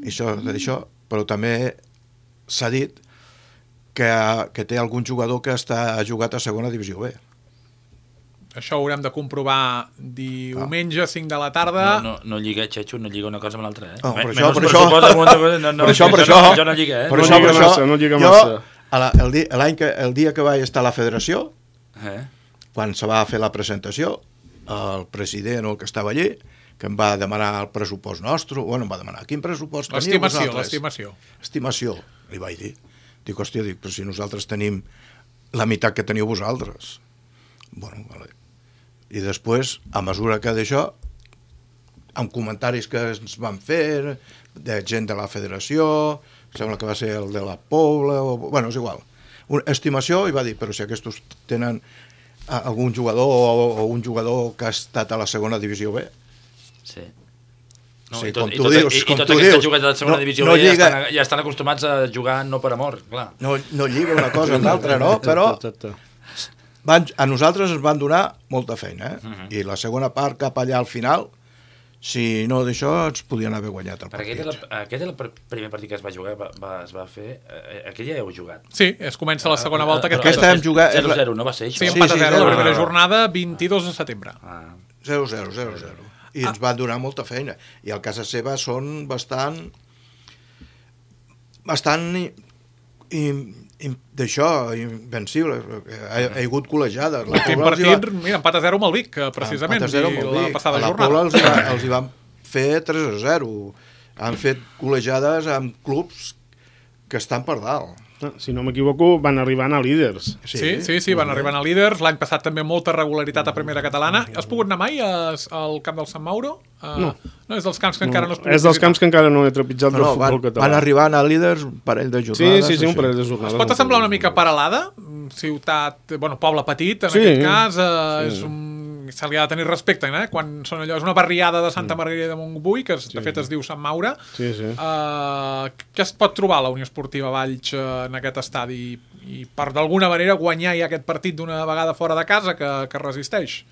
Speaker 3: això, això, però també s'ha dit que, que té algun jugador que està, ha jugat a segona divisió B.
Speaker 2: Això ho haurem de comprovar diumenge, cinc de la tarda.
Speaker 4: No, no, no lliga, Xecho, no lliga una cosa amb l'altra, eh?
Speaker 3: No, per
Speaker 4: Me-
Speaker 3: això,
Speaker 4: menys
Speaker 3: per això.
Speaker 4: pressupost damunt de cosa, no, no,
Speaker 3: Per això, per
Speaker 4: jo
Speaker 3: això.
Speaker 4: No, jo no lliga, eh?
Speaker 3: Per
Speaker 5: No
Speaker 3: això,
Speaker 5: lliga
Speaker 3: per això,
Speaker 5: massa, no lliga
Speaker 3: jo,
Speaker 5: massa.
Speaker 3: a la, el, di, l'any que, el dia que vaig estar a la federació,
Speaker 4: Eh?
Speaker 3: quan se va fer la presentació, el president o el que estava allí, que em va demanar el pressupost nostre, bueno, em va demanar, quin pressupost teniu
Speaker 2: L'estimació,
Speaker 3: vosaltres?
Speaker 2: l'estimació.
Speaker 3: Estimació, li vaig dir. Dic, hòstia, dic, però si nosaltres tenim la meitat que teniu vosaltres. Bueno, vale. I després, a mesura que d'això, amb comentaris que ens van fer, de gent de la federació, sembla que va ser el de la Pobla, o, bueno, és igual. Una estimació, i va dir, però si aquests tenen a- algun jugador o, o un jugador que ha estat a la segona divisió B.
Speaker 4: Sí. No,
Speaker 3: Sí,
Speaker 4: i tot,
Speaker 3: com
Speaker 4: i
Speaker 3: tu
Speaker 4: tot,
Speaker 3: dius,
Speaker 4: i, i
Speaker 3: com
Speaker 4: tots
Speaker 3: tu
Speaker 4: aquests
Speaker 3: dius.
Speaker 4: jugadors de la segona
Speaker 3: No-
Speaker 4: divisió
Speaker 3: no
Speaker 4: B ja,
Speaker 3: lliga.
Speaker 4: estan, ja estan acostumats a jugar no per amor, clar.
Speaker 3: No, no lliga una cosa amb l'altra, no? Però
Speaker 5: Exacte.
Speaker 3: van, a nosaltres ens van donar molta feina, eh?
Speaker 4: Uh -huh.
Speaker 3: I la segona part cap allà al final, si no d'això, ens podien haver guanyat el
Speaker 4: Perquè aquest,
Speaker 3: partit.
Speaker 4: és el, aquest és el pr- primer partit que es va jugar, va, va, es va fer... Eh, aquell ja heu jugat.
Speaker 2: Sí, es comença la segona volta.
Speaker 4: Però
Speaker 2: Aquesta,
Speaker 3: Aquesta hem jugat-
Speaker 4: zero a zero, no va ser això?
Speaker 2: Sí,
Speaker 3: Sí,
Speaker 2: empat a
Speaker 3: sí,
Speaker 2: zero,
Speaker 3: zero.
Speaker 2: la primera
Speaker 4: Ah,
Speaker 2: jornada, vint-i-dos de setembre.
Speaker 4: Ah.
Speaker 3: zero zero, zero zero. I ens van donar molta feina. I al casa seva són bastant... bastant... i- i- i- d'això, invencibles. Ha, ha hagut col·legiades. La
Speaker 2: L'últim
Speaker 3: Pobla els hi va-
Speaker 2: partit, mira, empat a zero amb el Vic, que precisament,
Speaker 3: Empat a zero
Speaker 2: i
Speaker 3: amb el
Speaker 2: la
Speaker 3: Vic.
Speaker 2: passada
Speaker 3: a la
Speaker 2: jornada.
Speaker 3: Pobla els hi, va, els hi van fer tres a zero. Han fet col·legiades amb clubs que estan per dalt.
Speaker 5: Ah, si no m'equivoco, van arribant a líders.
Speaker 2: Sí, sí, sí, van arribant a líders. L'any passat també molta regularitat a primera catalana. Has pogut anar mai a, al camp del Sant Mauro? Uh,
Speaker 5: No.
Speaker 2: No, és dels camps que encara no has pogut
Speaker 5: És dels
Speaker 2: visitar.
Speaker 5: camps que encara no he trepitjat
Speaker 3: No,
Speaker 5: del
Speaker 3: no,
Speaker 5: futbol
Speaker 3: van,
Speaker 5: català.
Speaker 3: van arribant a líders un parell de
Speaker 5: Sí,
Speaker 3: jornades.
Speaker 5: sí, sí, un
Speaker 3: així.
Speaker 5: parell de jornades.
Speaker 2: Es pot semblar una mica paral·lada, ciutat, bueno, poble petit, en
Speaker 5: Sí.
Speaker 2: aquest cas, eh,
Speaker 5: Sí.
Speaker 2: és un, se li ha de tenir respecte, eh? Quan són allò, és una barriada de Santa Margarida de Montbui, que de fet es diu Sant Maure.
Speaker 5: Sí, sí.
Speaker 2: Uh, què es pot trobar a la Unió Esportiva Valls uh, en aquest estadi i per d'alguna manera guanyar ja aquest partit d'una vegada fora de casa que, que resisteix?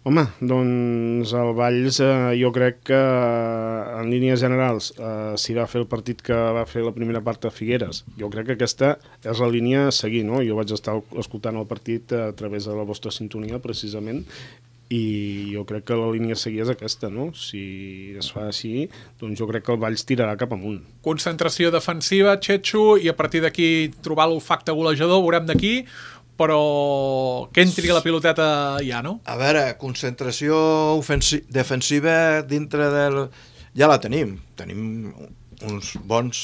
Speaker 5: Home, doncs el Valls eh, jo crec que eh, en línies generals eh, s'hi va fer el partit que va fer la primera part a Figueres. Jo crec que aquesta és la línia a seguir, no? Jo vaig estar escoltant el partit a través de la vostra sintonia, precisament, i jo crec que la línia a seguir és aquesta, no? Si es fa així, doncs jo crec que el Valls tirarà cap amunt.
Speaker 2: Concentració defensiva, Txetxo, i a partir d'aquí trobar l'olfacte golejador, veurem d'aquí, però que entri la piloteta ja, no?
Speaker 3: A veure, concentració ofensi- defensiva dintre del... Ja la tenim. Tenim uns bons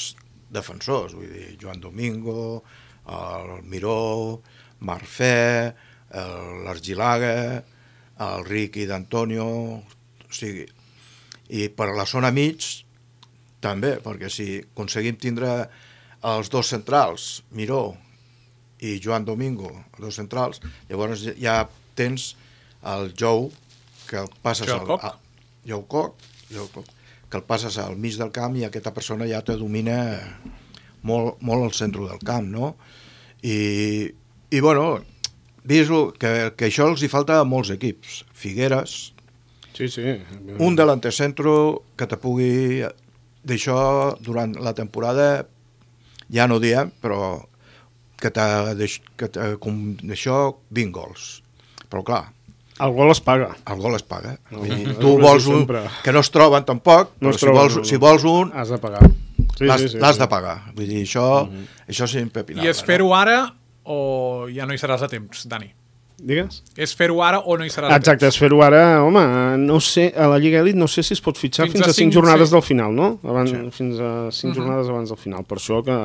Speaker 3: defensors, vull dir, Joan Domingo, el Miró, Marfè, el- l'Argilaga, el Riqui d'Antonio, o sigui, i per la zona mig també, perquè si aconseguim tindre els dos centrals, Miró i Joan Domingo, els dos centrals, llavors ja tens el Jou, que el passes
Speaker 2: Jou
Speaker 3: al...
Speaker 2: Coc.
Speaker 3: A, Jou Coc, Jou Coc, que el passes al mig del camp i aquesta persona ja te domina molt, molt al centre del camp, no? I, i bueno, vist que, que això els hi falta a molts equips. Figueres,
Speaker 5: Sí, sí.
Speaker 3: un delanter centro que te pugui d'això, durant la temporada, ja no diem, però que t'ha d'això vint gols. Però clar,
Speaker 5: el gol es paga.
Speaker 3: el gol es paga.
Speaker 5: No,
Speaker 3: Vull dir,
Speaker 5: no,
Speaker 3: tu
Speaker 5: no,
Speaker 3: vols un,
Speaker 5: sempre.
Speaker 3: que no es troben tampoc,
Speaker 5: No
Speaker 3: però
Speaker 5: es
Speaker 3: si,
Speaker 5: troben,
Speaker 3: vols,
Speaker 5: no, no.
Speaker 3: si vols un,
Speaker 5: Has de pagar. Sí,
Speaker 3: l'has
Speaker 5: sí, sí,
Speaker 3: l'has
Speaker 5: sí.
Speaker 3: de pagar. Vull dir, això, uh-huh. això és impepinable.
Speaker 2: I és fer-ho ara o ja no hi seràs a temps, Dani?
Speaker 5: Digues?
Speaker 2: És fer-ho ara o no hi seràs a temps?
Speaker 5: Exacte, és fer-ho ara, home, no sé, a la Lliga Elite no sé si es pot fitxar
Speaker 2: Fins
Speaker 5: fins,
Speaker 2: a
Speaker 5: a cinc
Speaker 2: cinc,
Speaker 5: jornades
Speaker 2: sí.
Speaker 5: del final, no? Abans,
Speaker 3: Sí.
Speaker 5: Fins a cinc
Speaker 2: Mhm.
Speaker 5: jornades abans del final. Per això que,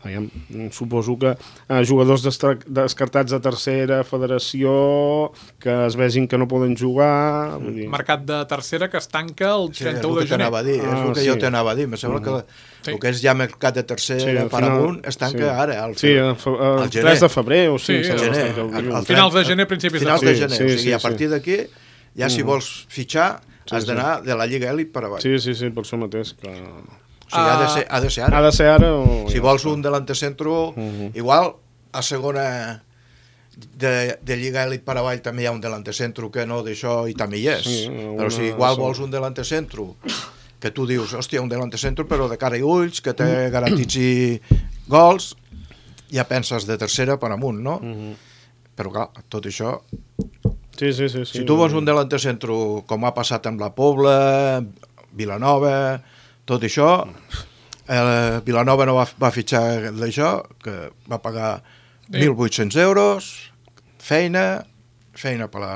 Speaker 5: aviam, suposo que eh, jugadors destra- descartats de tercera federació, que es vegin que no poden jugar... Vull dir...
Speaker 2: Mercat de tercera que es tanca el
Speaker 3: Sí, és el
Speaker 2: trenta-u
Speaker 3: que
Speaker 2: de gener.
Speaker 3: t'anava a dir, és
Speaker 5: Ah,
Speaker 3: el que
Speaker 5: sí.
Speaker 3: jo t'anava a dir. Me sembla que
Speaker 2: Sí.
Speaker 3: el que és ja mercat de tercera
Speaker 5: Sí, al
Speaker 3: per
Speaker 5: final-
Speaker 3: amunt es tanca
Speaker 5: sí.
Speaker 3: ara. Al,
Speaker 5: Sí, el, fe- el
Speaker 3: al gener.
Speaker 5: tres de febrer o
Speaker 2: Sí,
Speaker 5: cinc,
Speaker 2: al
Speaker 5: sí,
Speaker 3: gener,
Speaker 5: el
Speaker 3: al-
Speaker 5: dilluns.
Speaker 3: al
Speaker 2: Finals de gener, principis de
Speaker 3: finals de
Speaker 5: Sí,
Speaker 3: gener.
Speaker 5: sí,
Speaker 3: o sigui,
Speaker 5: sí,
Speaker 3: a
Speaker 5: sí.
Speaker 3: partir d'aquí, ja si vols fitxar,
Speaker 5: Sí,
Speaker 3: has
Speaker 5: sí.
Speaker 3: d'anar de la Lliga Elite per avall.
Speaker 5: Sí, sí, sí, per això mateix. Que...
Speaker 3: O sigui, ha de ser, ha de ser
Speaker 5: Ha
Speaker 3: ara.
Speaker 5: de ser ara o...
Speaker 3: Si
Speaker 5: ja
Speaker 3: vols
Speaker 5: està.
Speaker 3: un delante centro,
Speaker 5: Mhm.
Speaker 3: igual a segona de, de Lliga Elite per avall també hi ha un delante centro que no d'això i també hi és.
Speaker 5: Sí,
Speaker 3: Però
Speaker 5: una
Speaker 3: si igual
Speaker 5: sola.
Speaker 3: vols un delante centro que tu dius, hòstia, un delante centro però de cara i ulls, que te garantitzi gols, ja penses de tercera per amunt, no?
Speaker 5: Mhm.
Speaker 3: Però clar, tot això...
Speaker 5: Sí, sí, sí, sí.
Speaker 3: Si tu vols un delante centro com ha passat amb la Pobla, Vilanova, tot això, eh, Vilanova no va, va fitxar d'això, que va pagar mil vuit-cents euros, feina, feina per la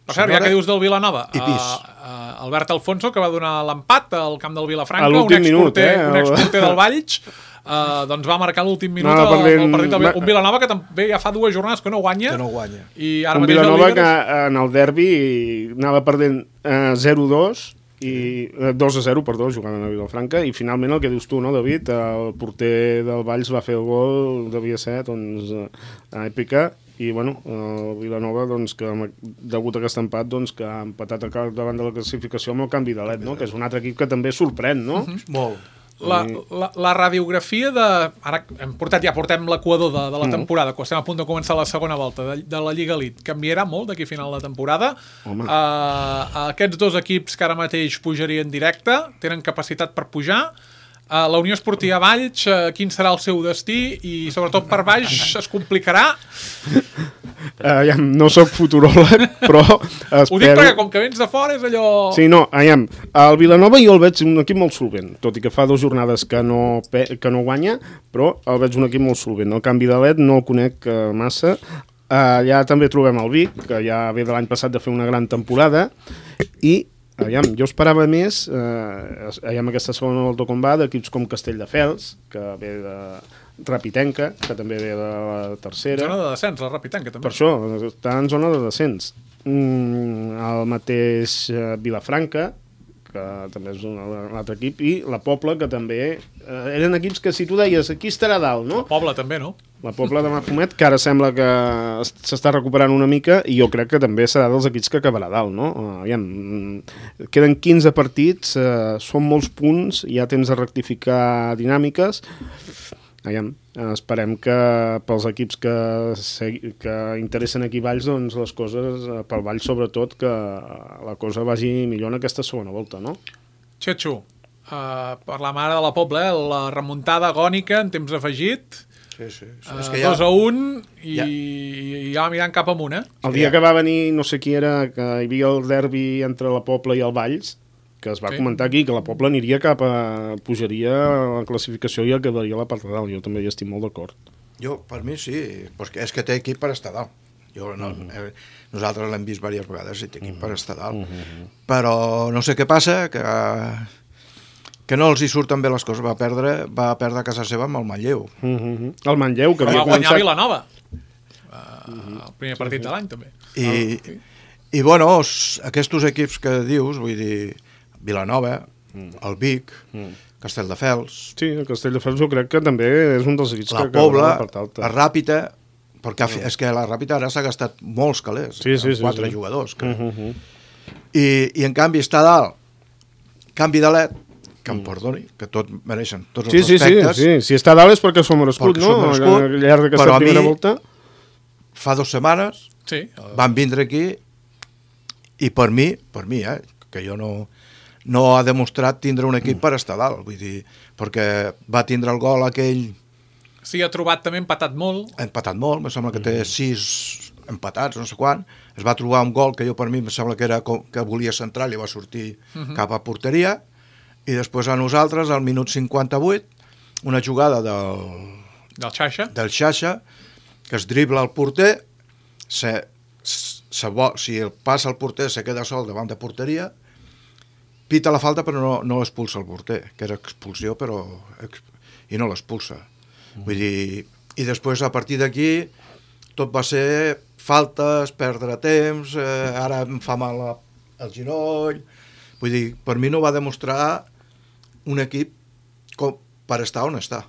Speaker 2: Per cert, ja que dius del Vilanova,
Speaker 3: I pis.
Speaker 2: uh, uh, Albert Alfonso, que va donar l'empat al camp del Vilafranca,
Speaker 5: A
Speaker 2: un
Speaker 5: l'últim minut,
Speaker 2: exporter,
Speaker 5: eh?
Speaker 2: un exporter del Valls, uh, doncs va marcar l'últim minut
Speaker 5: Anava
Speaker 2: al,
Speaker 5: perdent-
Speaker 2: al partit del
Speaker 5: va-
Speaker 2: Vilanova, un Vilanova que també ja fa dues jornades que no guanya,
Speaker 3: que no guanya.
Speaker 2: i ara
Speaker 5: Un
Speaker 2: mateix el
Speaker 5: Vilanova
Speaker 2: líder
Speaker 5: que
Speaker 2: és-
Speaker 5: en el derbi anava perdent eh, zero dos i eh, dos a zero, perdó, jugant a Vilafranca, i finalment el que dius tu, no, David? El porter del Valls va fer el gol, devia ser, doncs, eh, èpica, i, bueno, el Vilanova, doncs, que amb- degut a aquest empat, doncs, que ha empatat a cal- davant de la classificació amb el canvi de l'E D, no? Que és un altre equip que també sorprèn, no?
Speaker 3: Molt.
Speaker 2: La, la, la radiografia de... Ara hem portat, ja portem l'equador de, de la temporada, quan estem a punt de començar la segona volta de, de la Lliga Elite. Canviarà molt d'aquí a final de temporada.
Speaker 5: Home.
Speaker 2: Uh, aquests dos equips que ara mateix pujarien directe, tenen capacitat per pujar. Uh, la Unió Esportiva Valls, uh, quin serà el seu destí? I sobretot per baix es complicarà.
Speaker 5: Eh, ja, no sóc futuròleg, però espero...
Speaker 2: Ho dic perquè com que vens de fora és allò...
Speaker 5: Sí, no, aviam, el Vilanova jo el veig un equip molt solvent, tot i que fa dues jornades que no, pe que no guanya, però el veig un equip molt solvent. El canvi de l'E D no el conec uh, massa. Uh, ja també trobem el Vic, que ja ve de l'any passat de fer una gran temporada, i aviam, jo esperava més, eh, aviam aquesta segona volta com va, d'equips com Castelldefels, que ve de Rapitenca, que també ve de la tercera.
Speaker 2: Zona de descens, la Rapitanca, també.
Speaker 5: Per això, està en zona de descens. Mm, el mateix eh, Vilafranca, que també és un, un altre equip, i la Pobla, que també eh, eren equips que, si tu deies, aquí estarà dalt, no?
Speaker 2: Poble també, no?
Speaker 5: La Pobla de Mafumet, que ara sembla que s'està recuperant una mica, i jo crec que també serà dels equips que acabarà dalt, no? Uh, aviam, mm, queden quinze partits, uh, són molts punts, hi ha temps de rectificar dinàmiques. Aviam, uh, esperem que pels equips que, segui, que interessen aquí Valls, doncs les coses, uh, pel Valls sobretot, que la cosa vagi millor en aquesta segona volta, no?
Speaker 2: Xetxo, uh, per la mare de la Pobla, eh? La remuntada agònica en temps afegit,
Speaker 3: Sí, sí. sí.
Speaker 2: uh,
Speaker 3: És que ja...
Speaker 2: dos a un, i
Speaker 3: Ja.
Speaker 2: ja, ja va mirant cap amunt, eh?
Speaker 5: El dia que va venir, no sé qui era, que hi havia el derbi entre la Pobla i el Valls, que es va
Speaker 2: Sí.
Speaker 5: comentar aquí, que la Pobla aniria cap a... pujaria a la classificació i acabaria a la part de dalt. Jo també hi estic molt d'acord.
Speaker 3: Jo, per mi sí, perquè és que té equip per estar dalt. Jo, no, eh, nosaltres l'hem vist diverses vegades i té equip per estar dalt. Però no sé què passa, que, que no els hi surten bé les coses. Va perdre, va perdre a casa seva amb el Manlleu.
Speaker 5: Uh -huh. El Manlleu, que
Speaker 2: Però
Speaker 5: havia
Speaker 2: va guanyar
Speaker 5: començat...
Speaker 2: Vilanova. Uh, el primer partit de l'any, també.
Speaker 3: I, i bueno, s- aquests equips que dius, vull dir, Vilanova, el Vic, Castelldefels,
Speaker 5: Sí, el Castelldefels jo crec que també és un dels equips
Speaker 3: la
Speaker 5: que acabarà
Speaker 3: Pobla,
Speaker 5: la part alta.
Speaker 3: la Ràpita, perquè ha fi- és que la Ràpita ara s'ha gastat molts calés,
Speaker 5: Sí, sí,
Speaker 3: amb
Speaker 5: sí,
Speaker 3: quatre
Speaker 5: sí.
Speaker 3: jugadors. Que...
Speaker 5: Uh -huh.
Speaker 3: I, I en canvi està a dalt, canvi de L E D, que em perdoni, que tot mereixen tots
Speaker 5: Sí,
Speaker 3: els
Speaker 5: sí, sí,
Speaker 3: respectes.
Speaker 5: sí. Si està a dalt és perquè s'ho ha merescut,
Speaker 3: Perquè s'ho
Speaker 5: no?
Speaker 3: ha merescut,
Speaker 5: Al llarg d'aquesta
Speaker 3: però a
Speaker 5: primera
Speaker 3: mi-
Speaker 5: volta.
Speaker 3: Fa dues setmanes
Speaker 2: Sí. Uh,
Speaker 3: van vindre aquí i per mi, per mi, eh, que jo no, no ha demostrat tindre un equip per estar dalt, vull dir, perquè va tindre el gol aquell...
Speaker 2: Sí, ha trobat també empatat molt.
Speaker 3: Ha empatat molt, em sembla que té sis empatats, no sé quan. Es va trobar un gol que jo per mi em sembla que era com, que volia centrar i va sortir uh-huh. cap a porteria, i després a nosaltres, al minut cinquanta-vuit, una jugada del...
Speaker 2: Del Xaixa.
Speaker 3: Del Xaixa, que es dribla el porter, se, se bo, si el passa el porter se queda sol davant de porteria, pita la falta però no, no expulsa el porter, que era expulsió però i no l'expulsa. Mm. Vull dir, i després a partir d'aquí tot va ser faltes, perdre temps, eh, ara em fa mal el ginoll, vull dir, per mi no va demostrar un equip com per estar on està.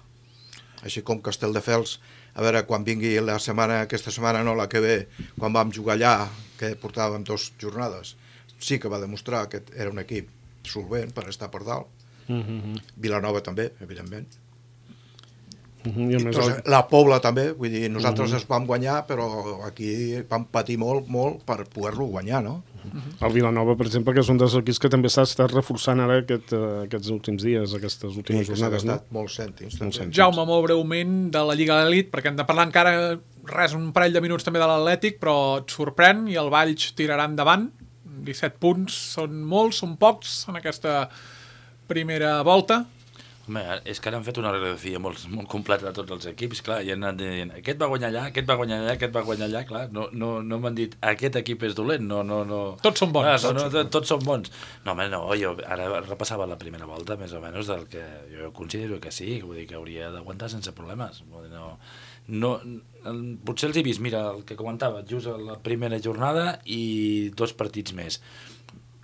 Speaker 3: Així com Castelldefels, a veure, quan vingui la setmana, aquesta setmana no, la que ve, quan vam jugar allà, que portàvem dues jornades, sí que va demostrar que era un equip solvent per estar per dalt. Mm-hmm. Vilanova també, evidentment. Mm-hmm. I I el... La Pobla també, vull dir, nosaltres mm-hmm. es vam guanyar, però aquí vam patir molt, molt per poder-lo guanyar, no?
Speaker 5: Mm-hmm. El Vilanova, per exemple, que és un dels equips que també s'ha estat reforçant ara aquest, uh, aquests últims dies, aquestes últimes
Speaker 3: sí,
Speaker 5: jornades, no?
Speaker 3: Molts cèntims. Molt cèntims.
Speaker 2: Jaume, molt breument, de la Lliga d'Elit, perquè hem de parlar encara res, un parell de minuts també de l'Atlètic, però et sorprèn i el Valls tirarà endavant. disset punts són molts, són pocs en aquesta primera volta.
Speaker 4: Home, és que ara han fet una radiografia molt, molt completa de tots els equips, clar, i han anat dient, aquest va guanyar allà, aquest va guanyar allà, aquest va guanyar allà, clar, no, no, no m'han dit, aquest equip és dolent, no, no, no...
Speaker 2: Tots són bons.
Speaker 4: Clar, no, no, tots són bons. No, home, no, jo ara repassava la primera volta, més o menys, del que jo considero que sí, vull dir que hauria d'aguantar sense problemes. Vull dir, no, no, potser els he vist, mira, el que comentava, just a la primera jornada i dos partits més.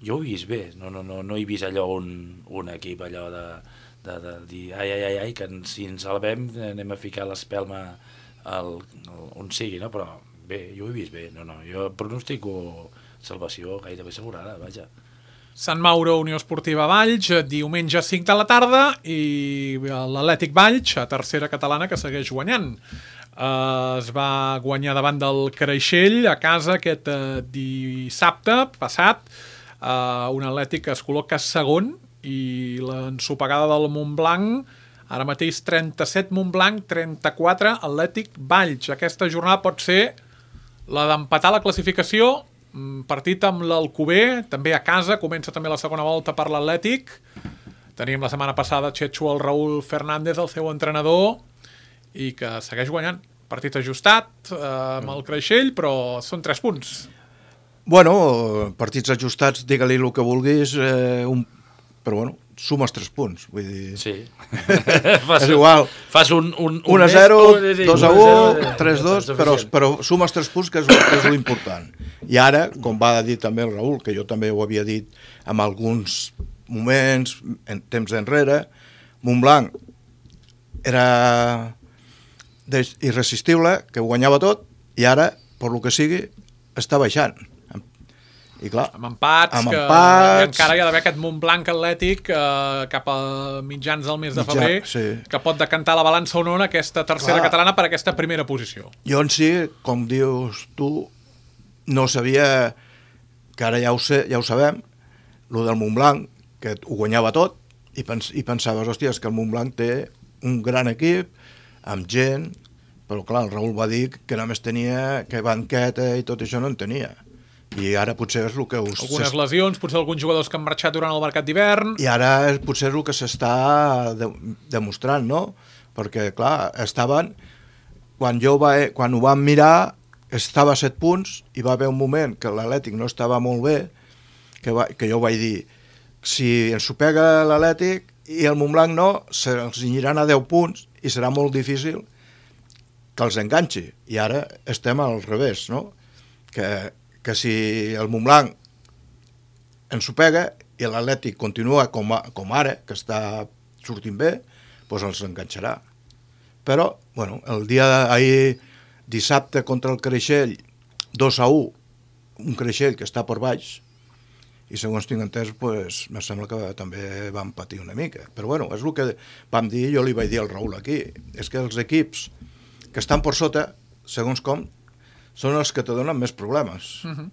Speaker 4: Jo ho he vist bé, no, no, no, no he vist allò un, un equip allò de... De, de dir, ai, ai, ai, ai, que si ens salvem anem a ficar l'espelma al, al, on sigui, no? Però bé, jo ho he vist bé, no, no, jo pronostico salvació gairebé assegurada, vaja.
Speaker 2: Sant Mauro, Unió Esportiva Valls, diumenge cinc de la tarda, i l'Atlètic Valls, a tercera catalana, que segueix guanyant. Uh, es va guanyar davant del Creixell a casa aquest uh, dissabte passat, uh, un Atlètic que es col·loca segon, i l'ensopegada del Montblanc, ara mateix trenta-set Montblanc, trenta-quatre Atlètic Valls. Aquesta jornada pot ser la d'empatar la classificació, partit amb l'Alcover, també a casa, comença també la segona volta per l'Atlètic. Tenim la setmana passada Txetxo el Raúl Fernández, el seu entrenador, i que segueix guanyant. Partit ajustat eh, amb el Creixell, però són tres punts.
Speaker 3: Bueno, partits ajustats, digue-li el que vulguis, eh, un però bueno, sumes tres punts, vull dir...
Speaker 4: Sí.
Speaker 3: és igual.
Speaker 4: Fas un... un, un
Speaker 3: un a zero, dos a u, tres a dos, però, però sumes tres punts, que és, que és l'important. I ara, com va dir també el Raül, que jo també ho havia dit en alguns moments, en temps enrere, Montblanc era irresistible, que ho guanyava tot, i ara, per lo que sigui, està baixant. I clar,
Speaker 2: amb empats,
Speaker 3: amb
Speaker 2: que
Speaker 3: empats...
Speaker 2: encara hi ha d'haver aquest Montblanc Atlètic eh, cap a mitjans del mes de
Speaker 3: Mitjà,
Speaker 2: febrer,
Speaker 3: sí.
Speaker 2: que pot decantar la balança o no en aquesta tercera
Speaker 3: Clar.
Speaker 2: catalana per aquesta primera posició.
Speaker 3: Jo en si, com dius tu, no sabia, que ara ja ho, sé, ja ho sabem, el del Montblanc, que ho guanyava tot, i, pens, i pensaves, hòstia, és que el Montblanc té un gran equip, amb gent, però clar, el Raül va dir que només tenia, que banqueta i tot això no en tenia. I ara potser és el que... Us
Speaker 2: Algunes lesions, potser alguns jugadors que han marxat durant el mercat d'hivern...
Speaker 3: I ara és, potser és el que s'està de, demostrant, no? Perquè, clar, estaven... Quan, jo va, quan ho vam mirar, estava a set punts, i va haver un moment que l'Atlètic no estava molt bé, que, va, que jo vaig dir, si ens ho pega l'Atlètic i el Montblanc no, se'ls aniran a deu punts i serà molt difícil que els enganxi. I ara estem al revés, no? Que... que si el Montblanc ens ho pega i l'Atlètic continua com, a, com ara, que està sortint bé, doncs els enganxarà. Però, bueno, el dia d'ahir, dissabte contra el Creixell, dos a u, un Creixell que està per baix, i segons tinc entès, doncs, me sembla que també van patir una mica. Però, bueno, és el que vam dir, jo li vaig dir al Raül aquí, és que els equips que estan per sota, segons com, són els que te donen més problemes. Uh-huh.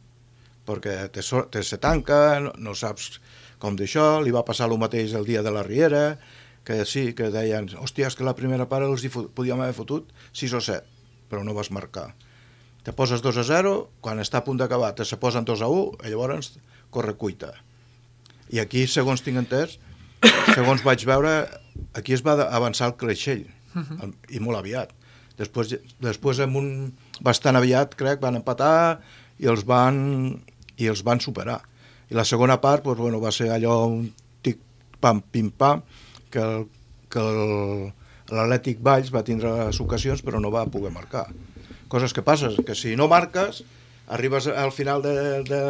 Speaker 3: Perquè te, te se tanca, no, no saps com d'això, li va passar el mateix el dia de la Riera, que sí, que deien, hòstia, és que la primera part els hi podíem haver fotut sis o set, però no vas marcar. Te poses dos a zero, quan està a punt d'acabar te se posen dos a u, i llavors corre cuita. I aquí, segons tinc entès, segons vaig veure, aquí es va avançar el Creixell, uh-huh. i molt aviat. Després, després amb un bastant aviat, crec, van empatar i els van, i els van superar. I la segona part doncs, bueno, va ser allò un tic-pam, pim-pam, que, el, que l'Atlètic Valls va tindre les ocasions però no va poder marcar. Coses que passen, que si no marques, arribes al final de, de,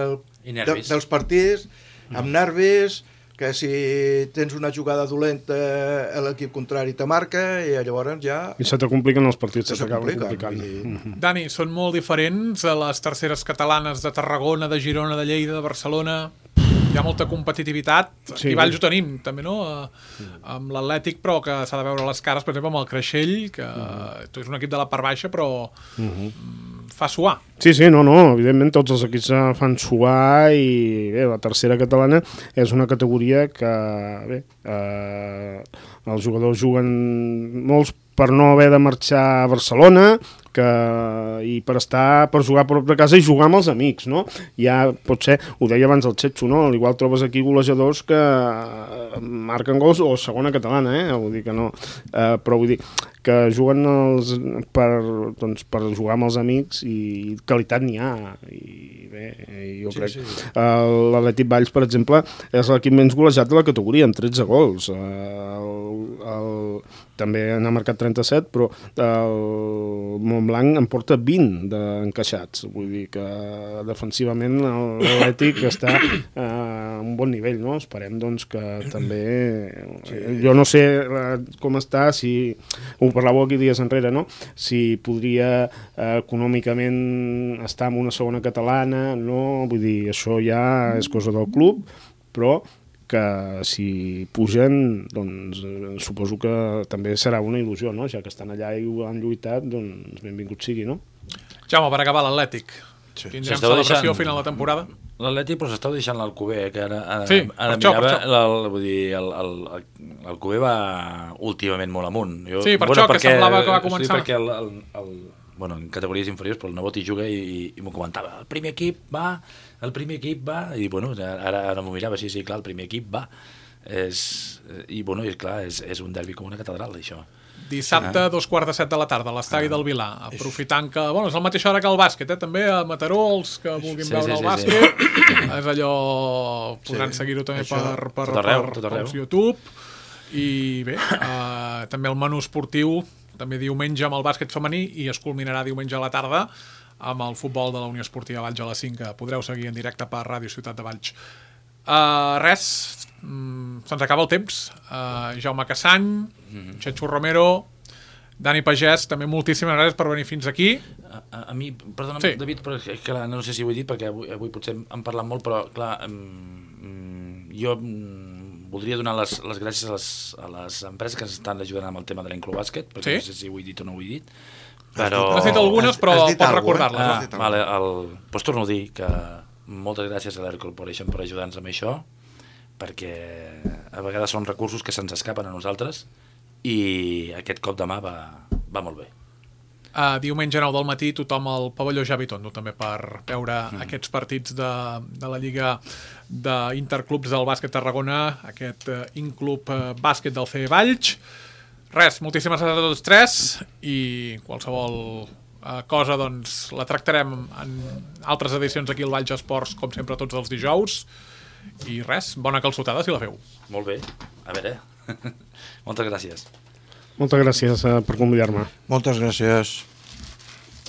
Speaker 3: de, dels partits amb nervis, que si tens una jugada dolenta l'equip contrari te marca i llavors ja...
Speaker 5: I se te compliquen els partits,
Speaker 3: se,
Speaker 5: se t'acaben
Speaker 3: complicant.
Speaker 5: complicant.
Speaker 2: Dani, són molt diferents a les terceres catalanes de Tarragona, de Girona, de Lleida, de Barcelona. Hi ha molta competitivitat. Sí. I Valls ho tenim, també, no? Amb l'Atlètic, però que s'ha de veure les cares, per exemple, amb el Creixell, que uh-huh. és un equip de la part baixa, però uh-huh. fa suar.
Speaker 5: Sí, sí, no, no, evidentment tots els equips fan suar i bé, la tercera catalana és una categoria que, bé, eh, els jugadors juguen molts per no haver de marxar a Barcelona, que, i per estar per jugar a prop de casa i jugar amb els amics, no? Ja pot ser, ho deia abans el Xetxo, no? Igual trobes aquí golejadors que marquen gols, o segona catalana, eh? Vull dir que no, eh, però vull dir que juguen els, per, doncs, per jugar amb els amics i qualitat n'hi ha, i bé, jo
Speaker 3: sí,
Speaker 5: crec
Speaker 3: sí.
Speaker 5: l'Atlètic Valls, per exemple, és l'equip menys golejat de la categoria, amb tretze gols. El, el, també n'ha marcat trenta-set, però el Montblanc en porta vint d'encaixats. Vull dir que defensivament l'Atlètic està a un bon nivell, no? Esperem doncs que també... Sí. Jo no sé com està, si ho parlàveu aquí dies enrere, no? Si podria eh, econòmicament estar en una segona catalana, no? Vull dir, això ja és cosa del club, però que si pugen, doncs suposo que també serà una il·lusió, no? Ja que estan allà i ho han lluitat, doncs benvingut sigui, no?
Speaker 2: Jaume, per acabar l'Atlètic.
Speaker 4: Sí.
Speaker 2: Tindrem celebració
Speaker 4: deixant...
Speaker 2: a final de temporada?
Speaker 4: L'Atlètic, però s'està deixant l'Alcover, que ara, ara,
Speaker 2: sí,
Speaker 4: ara
Speaker 2: per
Speaker 4: mirava,
Speaker 2: això, per
Speaker 4: el, vull dir, l'Alcover va últimament molt amunt. Jo,
Speaker 2: sí, per
Speaker 4: bueno,
Speaker 2: això
Speaker 4: perquè,
Speaker 2: que semblava que va començar.
Speaker 4: Sí, perquè el, el, el, bueno, en categories inferiors, però el nebot hi juga i, i, i m'ho comentava. El primer equip va, el primer equip va, i bueno, ara, ara m'ho mirava, sí, sí, clar, el primer equip va. És, i bueno, és clar, és, és un derbi com una catedral, això.
Speaker 2: Dissabte, ah. dos quarts de set de la tarda, a l'estadi ah. del Vilà, aprofitant que, bueno, és la mateixa hora que el bàsquet, eh? També a Mataró, els que vulguin sí, veure sí, el sí, bàsquet, sí. És allò, podran sí. seguir-ho també això, per, per, tot arreu, per, tot arreu. Per YouTube, i bé, eh, també el menú esportiu, també diumenge amb el bàsquet femení, i es culminarà diumenge a la tarda amb el futbol de la Unió Esportiva Valls a les cinc, que podreu seguir en directe per Ràdio Ciutat de Valls. Uh, res, mm, se'ns acaba el temps. uh, Jaume Cassany, mm-hmm. Xetxo Romero, Dani Pagès, també moltíssimes gràcies per venir fins aquí.
Speaker 4: A, a, a mi, perdona'm, sí. David, però, clar, no sé si ho he dit perquè avui, avui potser hem parlat molt, però clar, um, jo um, voldria donar les, les gràcies a les, a les empreses que ens estan ajudant amb el tema de l'Inclubàsquet, perquè sí? No sé si ho he dit o no ho he dit, però...
Speaker 2: Has dit algunes, però pots recordar-les.
Speaker 4: Ah, vale, el... Doncs torno a dir que moltes gràcies a l'Air Corporation per ajudar-nos amb això, perquè a vegades són recursos que se'ns escapen a nosaltres i aquest cop de mà va, va molt bé.
Speaker 2: Uh, diumenge nou del matí tothom al pavelló Javi Tondo també per veure mm. aquests partits de, de la Lliga d'Interclubs del bàsquet Tarragona, aquest uh, Inclub uh, bàsquet del C E Valls. Res, moltíssimes gràcies a tots tres i qualsevol Uh, cosa, doncs, la tractarem en altres edicions aquí al Valls Esports, com sempre, tots els dijous. I res, bona calçotada si la feu.
Speaker 4: Molt bé, a veure. Moltes gràcies.
Speaker 5: Moltes gràcies uh, per convidar-me.
Speaker 3: Moltes gràcies.